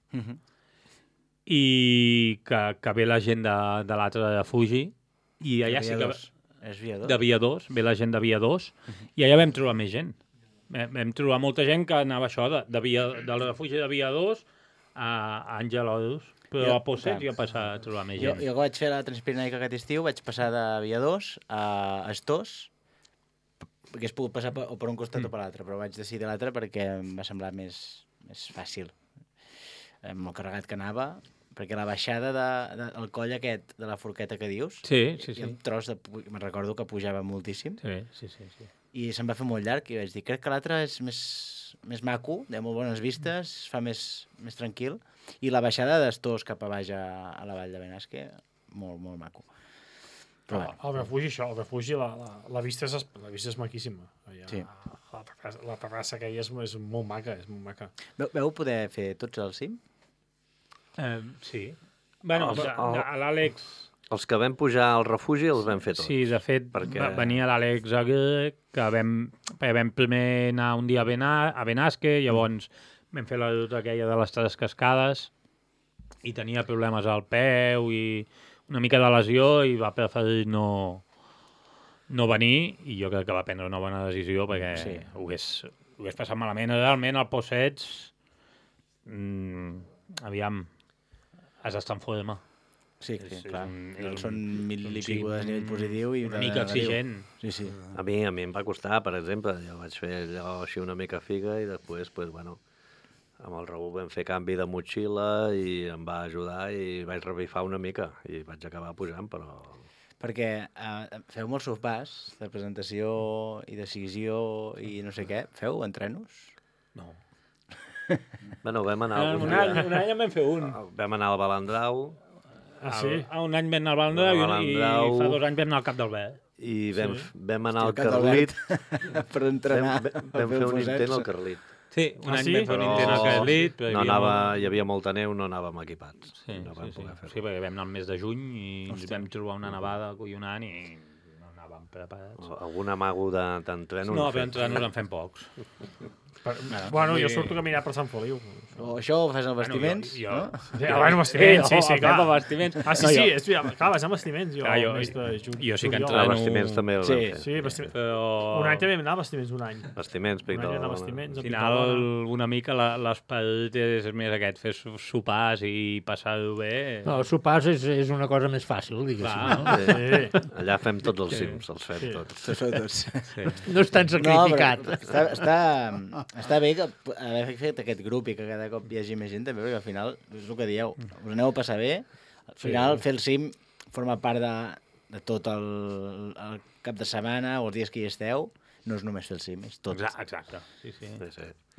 i que ve la gent de l'altre refugi i allà sí que... És Via 2. De Via 2, ve la gent de Via 2 i allà vam trobar més gent. Vam trobar molta gent que anava això, del refugi de Via 2 a Àngel Horus, però a Possets ja passa a trobar més gent. Jo vaig fer la Transpirenaica aquest estiu, vaig passar de Via 2 a Estós, perquè es pogut passar o per un costat o per l'altre, però vaig decidir l'altre perquè em va semblar més fàcil. Amb el carregat que anava, perquè la baixada del coll aquest, de la forqueta que dius, sí. un tros me'n recordo que pujava moltíssim, sí. I se'm va fer molt llarg, i vaig dir, crec que l'altre és més maco, de molt bones vistes, fa més tranquil, i la baixada d'Estós cap a baix a la vall de Benasque, molt, molt maco. Però el refugi, la vista és maquíssima. Sí. La terrassa que hi és molt maca, Veu poder fer tots al cim? Sí. Bueno, l'Àlex... Els que vam pujar al refugi els vam fer tots. Sí, de fet, venia l'Àlex Aguirre, que vam primer anar un dia a Benasque, llavors vam fer la ruta aquella de les 3 cascades i tenia problemes al peu i una mica de lesió i va preferir no venir i jo crec que va prendre una bona decisió perquè ho hagués passat malament. Realment el Possets, aviam, has d'estar en forma. Sí, clar. Són 1000 i pico de nivell positiu i una mica exigent. Sí. A mi em va costar, per exemple, jo vaig fer allò així una mica figa i després, amb el Raül vam fer canvi de motxilla i em va ajudar i vaig revifar una mica i vaig acabar pujant, però... Perquè feu molts sopars de presentació i decisió i no sé què. Feu entrenos? No. Bueno, vam anar... Un any en vam fer un. Vam anar al Balandrau. Sí? Un any vam anar al Balandrau i fa 2 anys vam anar al Cap d'Albert. I vam anar al Carlit. Per entrenar. Vam fer un intent al Carlit. Sí, un any vam fer un intent al Carlit. Hi havia molta neu, no anàvem equipats. Sí, perquè vam anar el mes de juny i ens vam trobar una nevada collonant i no anàvem preparats. Algun amago d'entrenos? No, però entrenos en fem pocs. Bueno, jo surto a caminar per Sant Feliu. Això ho fas amb vestiments? No? Bueno, vestiments, sí, clar. Sí, clar, vas amb vestiments. Jo sí que entreno... Vestiments també el vam fer. Sí, vestiments. Un any també vam anar a vestiments, un any. Vestiments, pictó. Al final, una mica l'esperit és més aquest, fer sopars i passar-ho bé. No, sopars és una cosa més fàcil, diguéssim. Allà fem tots els cims, els fem tots. No és tan sacrificat. Està bé que haver fet aquest grup i que cada cop hi hagi més gent també, perquè al final és el que dieu, us aneu a passar bé, al final fer el cim forma part de tot el cap de setmana o els dies que hi esteu, no és només fer el cim, és tot. Exacte, sí.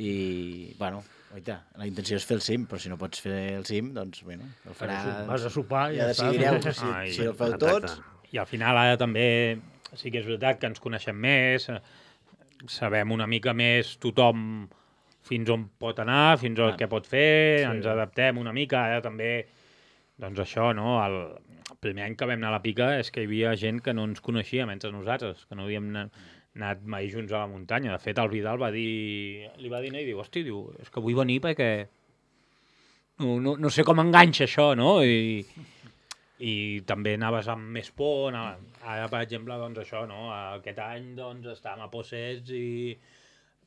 I, bueno, oita, la intenció és fer el cim, però si no pots fer el cim, doncs, bueno, el farà... Vas a sopar i ja decidireu si el feu tots. I al final ara també sí que és veritat que ens coneixem més, sabem una mica més tothom fins on pot anar, fins al que pot fer, ens adaptem una mica, ara també, doncs això, no? El primer any que vam anar a la pica és que hi havia gent que no ens coneixíem entre nosaltres, que no havíem anat mai junts a la muntanya. De fet, el Vidal li va dir i diu, hosti, és que vull venir perquè no sé com enganxa això, no? i també anaves amb més por. Ara, per exemple, doncs això, no? Aquest any doncs, estàvem a Possets i,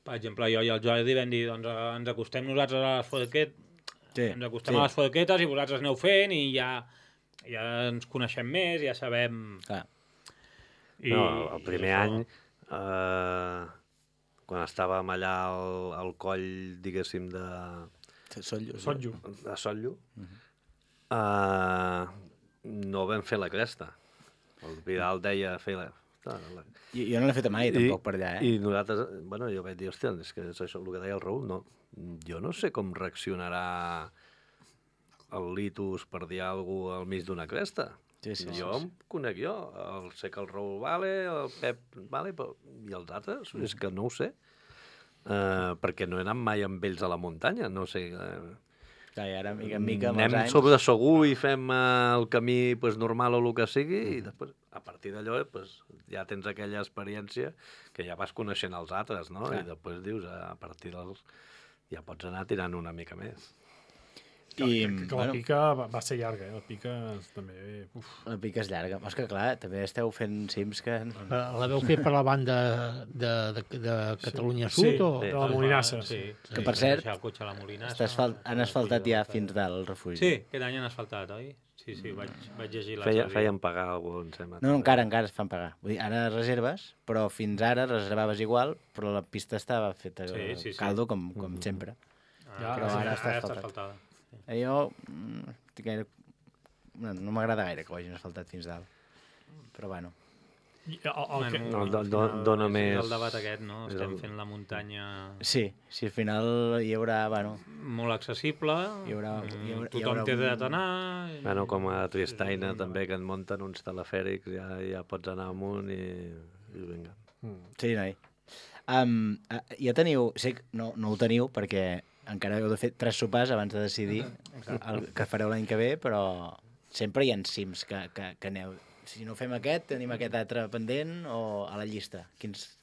per exemple, jo i el Jordi vam dir doncs, ens acostem nosaltres a les forquetes, ens acostem a les forquetes i vosaltres aneu fent i ja ens coneixem més, ja sabem... Clar. El primer any, quan estàvem allà al coll, diguéssim, de Sotllo, no vam fer la cresta. El Vidal deia fer la... Jo no l'he fet mai, tampoc, per allà, I nosaltres, jo vaig dir, hòstia, és que és això el que deia el Raül, no, jo no sé com reaccionarà el Litus per dir alguna cosa al mig d'una cresta. Jo em conec jo, sé que el Raül vale, el Pep vale, i els altres, és que no ho sé. Perquè no he anat mai amb ells a la muntanya, no sé... Clar, i ara, mica en mica, amb els anem anys... sobre segur i fem el camí normal o el que sigui, i després, a partir d'allò, ja tens aquella experiència que ja vas coneixent els altres, no? I després dius, a partir dels... ja pots anar tirant una mica més. Que la pica va ser llarga, la pica també... La pica és llarga. És que, clar, també esteu fent cims que... La veu fer per la banda de Catalunya Sud o...? De la Molinassa. Que, per cert, han asfaltat ja fins dalt el refugi. Sí, aquest any han asfaltat, oi? Sí, vaig llegir la Feien pagar algú, em sembla. No, encara es fan pagar. Vull dir, ara reserves, però fins ara reservaves igual, però la pista estava feta caldo, com sempre. Però ara està asfaltada. Jo no m'agrada gaire que ho hagin asfaltat fins dalt. Però bueno. Dona més... El debat aquest, no? Estem fent la muntanya... Sí, al final hi haurà... Molt accessible, tothom té dret a anar... Com a Tristaina també, que en munten uns telefèrics, ja pots anar amunt i vinga. Sí, noi. Ja teniu... Sé que no ho teniu perquè encara heu de fer 3 sopars abans de decidir el que fareu l'any que ve, però sempre hi ha cims que aneu... Si no fem aquest, tenim aquest altre pendent o a la llista? Quins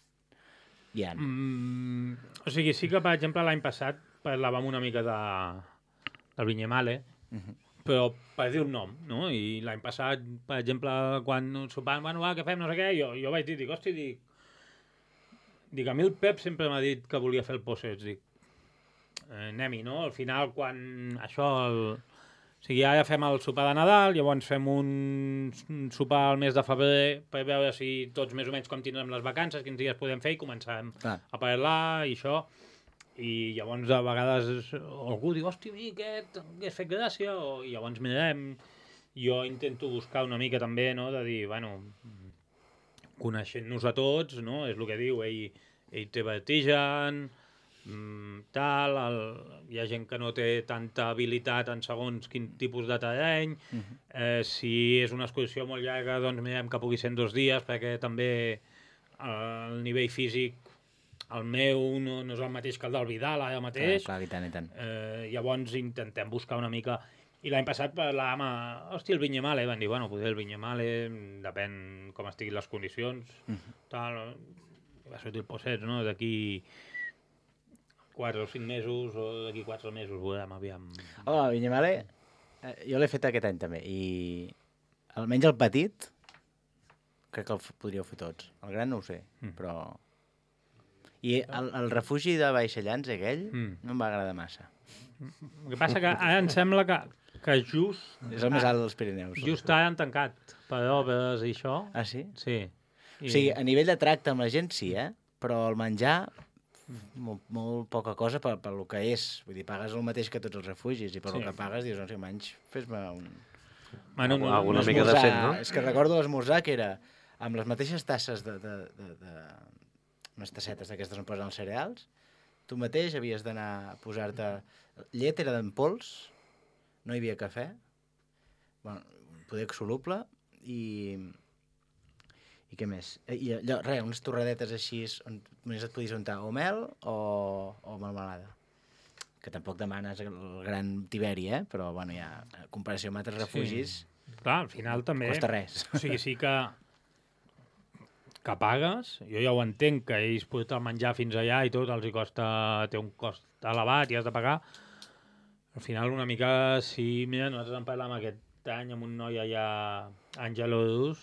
hi ha? O sigui, sí que, per exemple, l'any passat parlàvem una mica del Vinyemale, però per dir un nom, no? I l'any passat, per exemple, quan sopàvem, què fem, no sé què, jo vaig dir, a mi el Pep sempre m'ha dit que volia fer el Possets, anem-hi, no? Al final, quan això... O sigui, ara fem el sopar de Nadal, llavors fem un sopar al mes de febrer per veure si tots més o menys com tindrem les vacances, quins dies podem fer, i començarem a parlar i això. I llavors a vegades algú diu, hòstia, aquest hagués fet gràcia, i llavors mirem. Jo intento buscar una mica també, no?, de dir, coneixent-nos a tots, no?, és el que diu, ell té vertigen, hi ha gent que no té tanta habilitat en segons quin tipus de terreny, si és una excursió molt llarga, doncs mirem que pugui ser en 2 dies, perquè també el nivell físic, el meu, no és el mateix que el del Vidal ara mateix. Clar, i tant. Llavors intentem buscar una mica... I l'any passat parlàvem el Vinyemale, van dir, potser el Vinyemale, depèn com estiguin les condicions, va sortir el Possets, no?, d'aquí 4 o 5 mesos, o d'aquí 4 mesos, veurem, aviam. El Vinyemale, jo l'he fet aquest any també, i almenys el petit, crec que el podríeu fer tots. El gran no ho sé, però... I el refugi de Baixellans, aquell, no em va agradar massa. El que passa que ara em sembla que just... És el més alt dels Pirineus. Just ara han tancat per obres i això. Ah, sí? Sí. O sigui, a nivell de tracte amb la gent sí, però el menjar... Molt poca cosa per lo que és. Vull dir, pagues el mateix que tots els refugis i per lo que pagues dius, no sé, menys, fes-me alguna mica decent, no? És que recordo l'esmorzar que era amb les mateixes tasses unes tassetes d'aquestes on posen els cereals, tu mateix havies d'anar a posar-te... Llet era d'en pols, no hi havia cafè, poder soluble i què més? I allò, unes torradetes així on només et podies untar o mel o melmelada. Que tampoc demanes el gran Tiberi, però ja, en comparació amb altres refugis... Clar, al final també... Costa res. O sigui, sí que pagues, jo ja ho entenc, que ells porten el menjar fins allà i tot, els hi costa, té un cost elevat i has de pagar. Al final, una mica, si, mira, nosaltres en parlàvem aquest any amb un noi allà, Àngelus,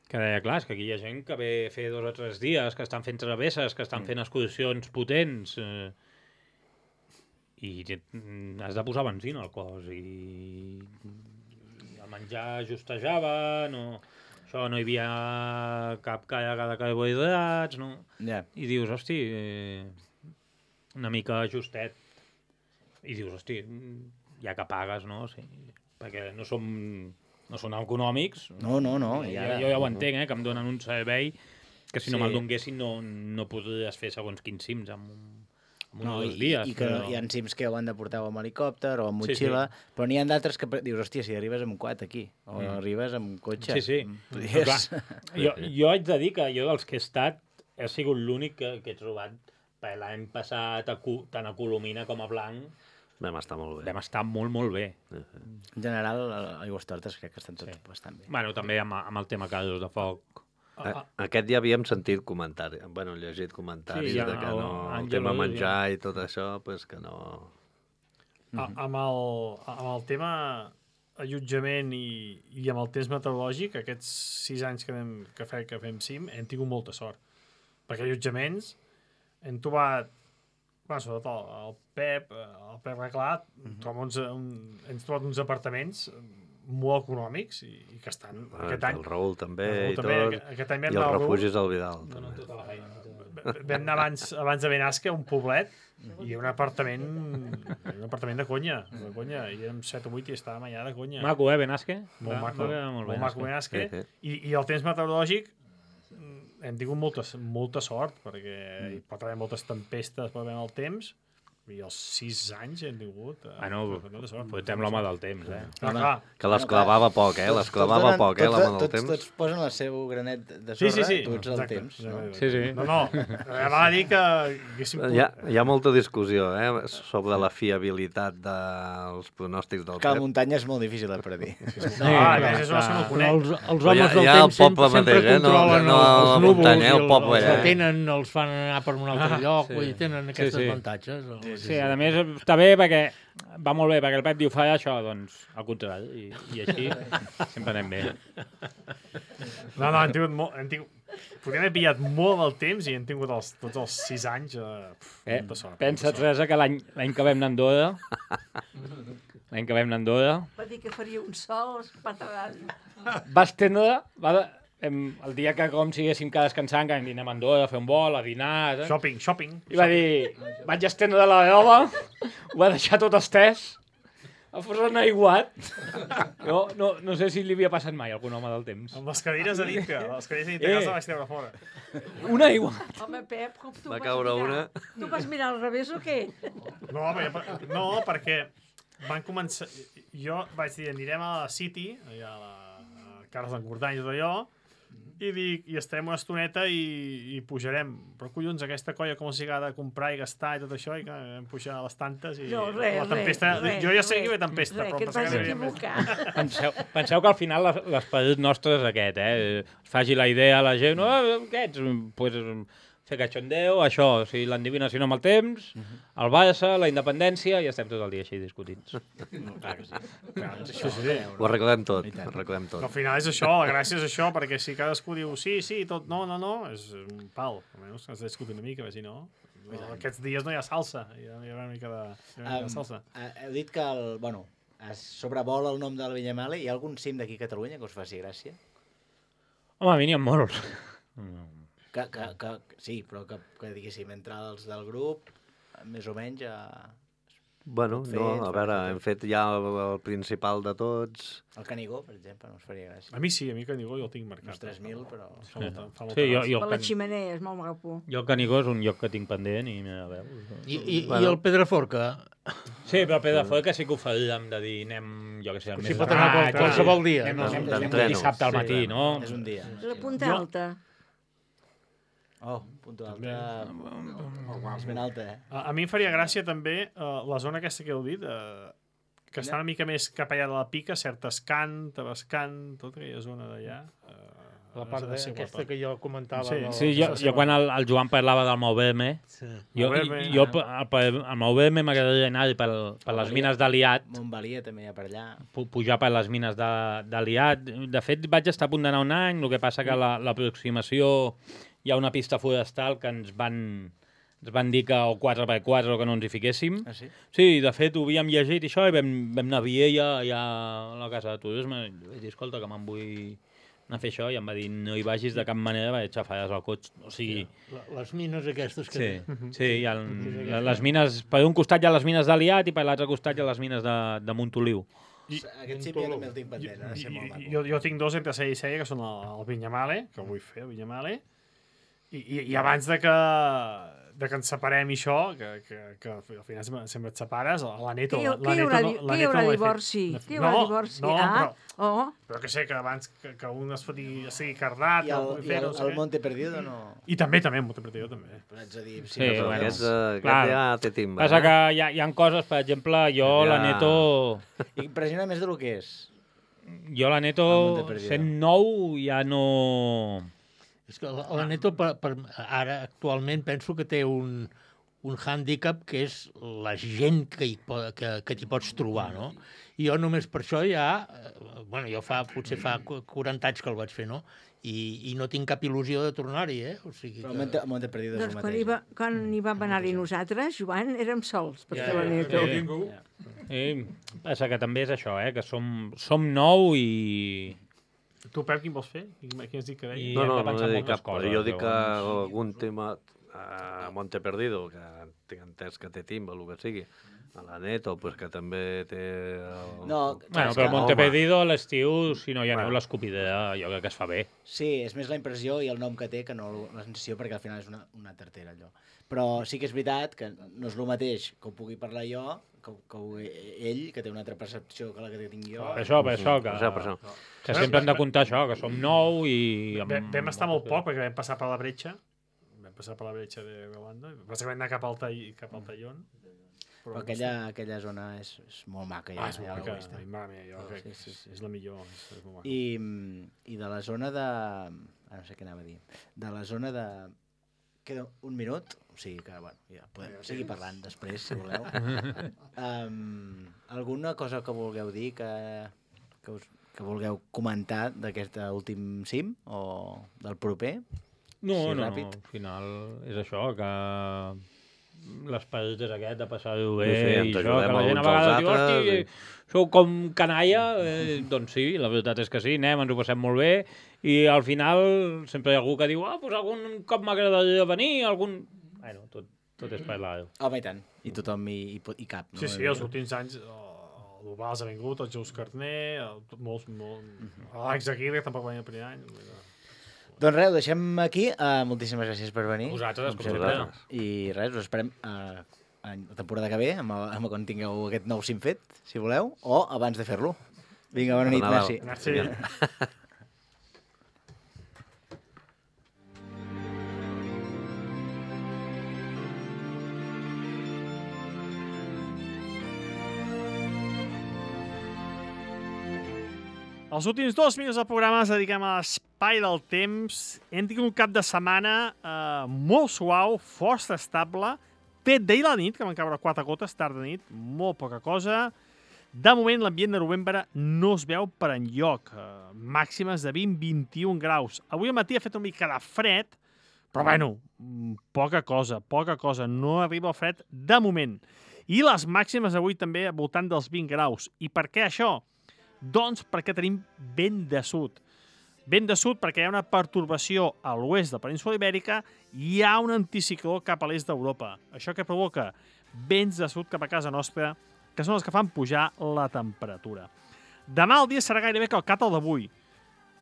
que deia, clar, és que aquí hi ha gent que ve a fer 2 o 3 dies, que estan fent travesses, que estan fent excursions potents, i has de posar benzina al cos, i el menjar justejava, això no hi havia cap càrrega de carbohidrats, no? I dius, hosti, una mica justet. I dius, hosti, ja que pagues, no? Sí, perquè no són econòmics. No. Jo ja ho entenc, que em donen un servei que si no me'l donguessin no podries fer segons quins cims en un o 2 dies. I que hi ha cims que ho han de portar amb helicòpter o amb motxilla, però n'hi ha d'altres que dius, hòstia, si arribes amb quad aquí, o arribes amb cotxe. Sí. Jo haig de dir que jo dels que he estat he sigut l'únic que he trobat per l'any passat tant a Colomina com a Blanc. Vam estar molt bé. Vam estar molt, molt bé. En general, Aigüestortes crec que estan tots bastant bé. Bueno, també amb el tema casos de foc. Aquest ja havíem sentit comentaris, llegit comentaris de que no, el tema menjar i tot això, pues que no... Amb el tema allotjament i amb el temps meteorològic, aquests 6 anys que fem cim, hem tingut molta sort. Perquè allotjaments hem trobat, sobretot el Pep Reclat, hem trobat uns apartaments molt econòmics i que estan aquest any... El Raül també i tot, aquest any i els refugis al Vidal. Vam anar abans de Benasque a un poblet i un apartament de conya, i érem 7 o 8 i estàvem allà de conya. Maco, Benasque? Molt maco Benasque. I el temps meteorològic hem tingut molta sort, perquè hi pot haver moltes tempestes per veure el temps, i els 6 anys hem tingut molta sort. Fotem l'home del temps, Que l'esclavava poc, l'esclavava poc, l'home del temps. Tots posen el seu granet de sorra, tots el temps. No, va dir que... Hi ha molta discussió sobre la fiabilitat dels pronòstics del Que la muntanya és molt difícil de predir. Els homes del temps sempre controlen els núvols i els retenen, els fan anar per un altre lloc, i tenen aquests avantatges. Sí, a més està bé perquè va molt bé, perquè el Pep diu fa això, doncs al contrari, i així sempre anem bé. No, hem tingut... Podríem haver pillat molt del temps i hem tingut tots els 6 anys molta sort. Pensa, Teresa, que l'any que vam anar a Andorra... Va dir que faria un sol espatalant. Va estendre... El dia que com siguéssim que descansant, que anem a Andorra a fer un vol, a dinar... Shopping. I va dir, vaig estendre la roba, ho va deixar tot estès, a fos en aiguat. No sé si li havia passat mai a algun home del temps. Amb les cadires a dintre, casa vaig treure fora. Un aiguat. Home, Pep, com tu va caure una. Tu vas mirar al revés o què? No, perquè van començar... Jo vaig dir, anirem a la City, allà a la Carles d'Encordany i tot allò, i dic, i estarem una estoneta i pujarem. Però collons, aquesta colla com s'hi ha de comprar i gastar i tot això, i que vam pujar a les tantes i la tempesta... Jo ja sé que hi ve tempesta, però que et vas equivocar. Penseu que al final l'esperit nostre és aquest, faci la idea a la gent, aquests, pues, fer cachondeo, això, si l'endivinació amb el temps, el Barça, la independència, i estem tot el dia així discutint. Clar que sí. Ho arreglem tot. Al final és això, la gràcia és això, perquè si cadascú diu sí, tot, no, és un pal. Almenys has de discutir una mica, si no... Aquests dies no hi ha salsa, hi ha una mica de salsa. Heu dit que es sobrevola el nom del Vinyamale. Hi ha algun cim d'aquí a Catalunya que us faci gràcia? Home, a mi n'hi ha molts. Sí, però que diguéssim, entre els del grup, més o menys... Bueno, a veure, hem fet ja el principal de tots. El Canigó, per exemple, no us faria gràcia. A mi sí, a mi Canigó jo el tinc marcat. Uns 3.000, però... Fa molta gràcia. Per la ximenea, és molt maco. Jo el Canigó és un lloc que tinc pendent i a veure... I el Pedraforca? Sí, però el Pedraforca sí que ho faríem de dir, anem, jo què sé, al mes de pot anar qualsevol dia. Anem dissabte al matí, no? És un dia. La Punta Alta. Punta Alta... És ben alta, A mi em faria gràcia també la zona aquesta que heu dit, que està una mica més cap allà de la Pica, Certescant, Tavascant, tota aquella zona d'allà. La part aquesta que jo comentava. Sí, jo quan el Joan parlava del Moverme, jo el Moverme m'agradaria anar per les mines d'Aliat. Montbalia també hi ha per allà. Pujar per les mines d'Aliat. De fet, vaig estar a punt d'anar un any, el que passa que l'aproximació hi ha una pista forestal que ens van dir que el 4x4 que no ens hi fiquéssim. Ah, sí? Sí, de fet, ho havíem llegit i això, i vam anar a Viella, allà a la casa de turisme, i vaig dir, escolta, que me'n vull anar a fer això, i em va dir, no hi vagis de cap manera, vaig xafaràs el cotxe. O sigui... Les mines aquestes que... Sí, hi ha les mines... Per un costat hi ha les mines d'Aliat i per l'altre costat hi ha les mines de Montoliu. Aquest sí, també el tinc pendent, ha de ser molt maco. Jo tinc dos entre Sella i Sella, que són el Vinyamale, que vull fer, el Vinyamale, i abans de que ens separem i això, que al final sempre et separes, la Neto... Què hi haurà divorci? Què hi haurà divorci? Però que sé, que abans que un es sigui cardat... I el Monte Perdido no... I també, el Monte Perdido també. Però ets a dir... Sí, aquest ja té timba. Passa que hi ha coses, per exemple, jo la Neto... Impressiona més del que és. Jo la Neto, sent nou, ja no... És que la Neto ara actualment penso que té un hàndicap que és la gent que t'hi pots trobar, no? I jo només per això ja... Bueno, potser fa 40 anys que el vaig fer, no? I no tinc cap il·lusió de tornar-hi, O sigui que... Però el Monte Perdido és el mateix. Doncs quan hi vam anar-hi nosaltres, Joan, érem sols, perquè la Neto... Passa que també és això, que som nou i... Tu, Pep, quin vols fer? Quin has dit que deia? No he dit cap cosa. Jo dic que algun tema a Monte Perdido, que tinc entès que té timba, el que sigui, a la Neto, pues, que també té... Però Monte Perdido a l'estiu, si no hi aneu l'escopidera, jo crec que es fa bé. Sí, és més la impressió i el nom que té que no la sensació, perquè al final és una tartera, allò. Però sí que és veritat que no és el mateix que ho pugui parlar jo, que ell, que té una altra percepció que la que tinc jo. Per això, que sempre hem de comptar això, que som nou i... Vam estar molt poc, perquè vam passar per la bretxa, de Galanda, vam anar cap al Tallón. Però aquella zona és molt maca. És molt maca, jo crec que és la millor. I de la zona de... no sé què anava a dir. De la zona de... Queda un minut, o sigui que, bueno, ja podem seguir parlant després, si voleu. Alguna cosa que vulgueu dir, que vulgueu comentar d'aquest últim cim, o del proper? No, al final és això, que l'esperit és aquest de passar-ho bé i això, que la gent a vegades diu, hosti, sou com canalla, doncs sí, la veritat és que sí, anem, ens ho passem molt bé, i al final sempre hi ha algú que diu, doncs algun cop m'agradaria venir, Bueno, tot és parlar. Home, i tant, i tothom hi cap. Sí, els últims anys el Dubals ha vingut, el Jous Carner, molts, l'Àlex Aguirre tampoc va venir el primer any. Doncs res, ho deixem aquí. Moltíssimes gràcies per venir. Vosaltres, com sempre. I res, us esperem a la temporada que ve, amb quan tingueu aquest nou cim fet, si voleu, o abans de fer-lo. Vinga, bona nit, merci. Merci. Els últims 2 minuts del programa els dediquem a l'espai del temps. Hem tingut un cap de setmana molt suau, força estable, fet d'ahir a la nit, que van caure 4 gotes, tard de nit, molt poca cosa. De moment, l'ambient de novembre no es veu per enlloc. Màximes de 20-21 graus. Avui al matí ha fet una mica de fred, però bueno, poca cosa. No arriba el fred de moment. I les màximes avui també al voltant dels 20 graus. I per què això? Doncs perquè tenim vent de sud. Vent de sud perquè hi ha una pertorbació a l'oest de la península Ibèrica i hi ha un anticicló cap a l'est d'Europa. Això que provoca vents de sud cap a casa nostra, que són els que fan pujar la temperatura. Demà el dia serà gairebé calcat al d'avui.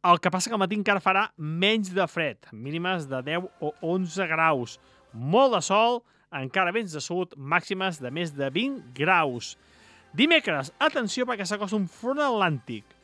El que passa que al matí encara farà menys de fred, mínimes de 10 o 11 graus. Molt de sol, encara vents de sud, màximes de més de 20 graus. Dimecres, atenció perquè s'acosta un front atlàntic.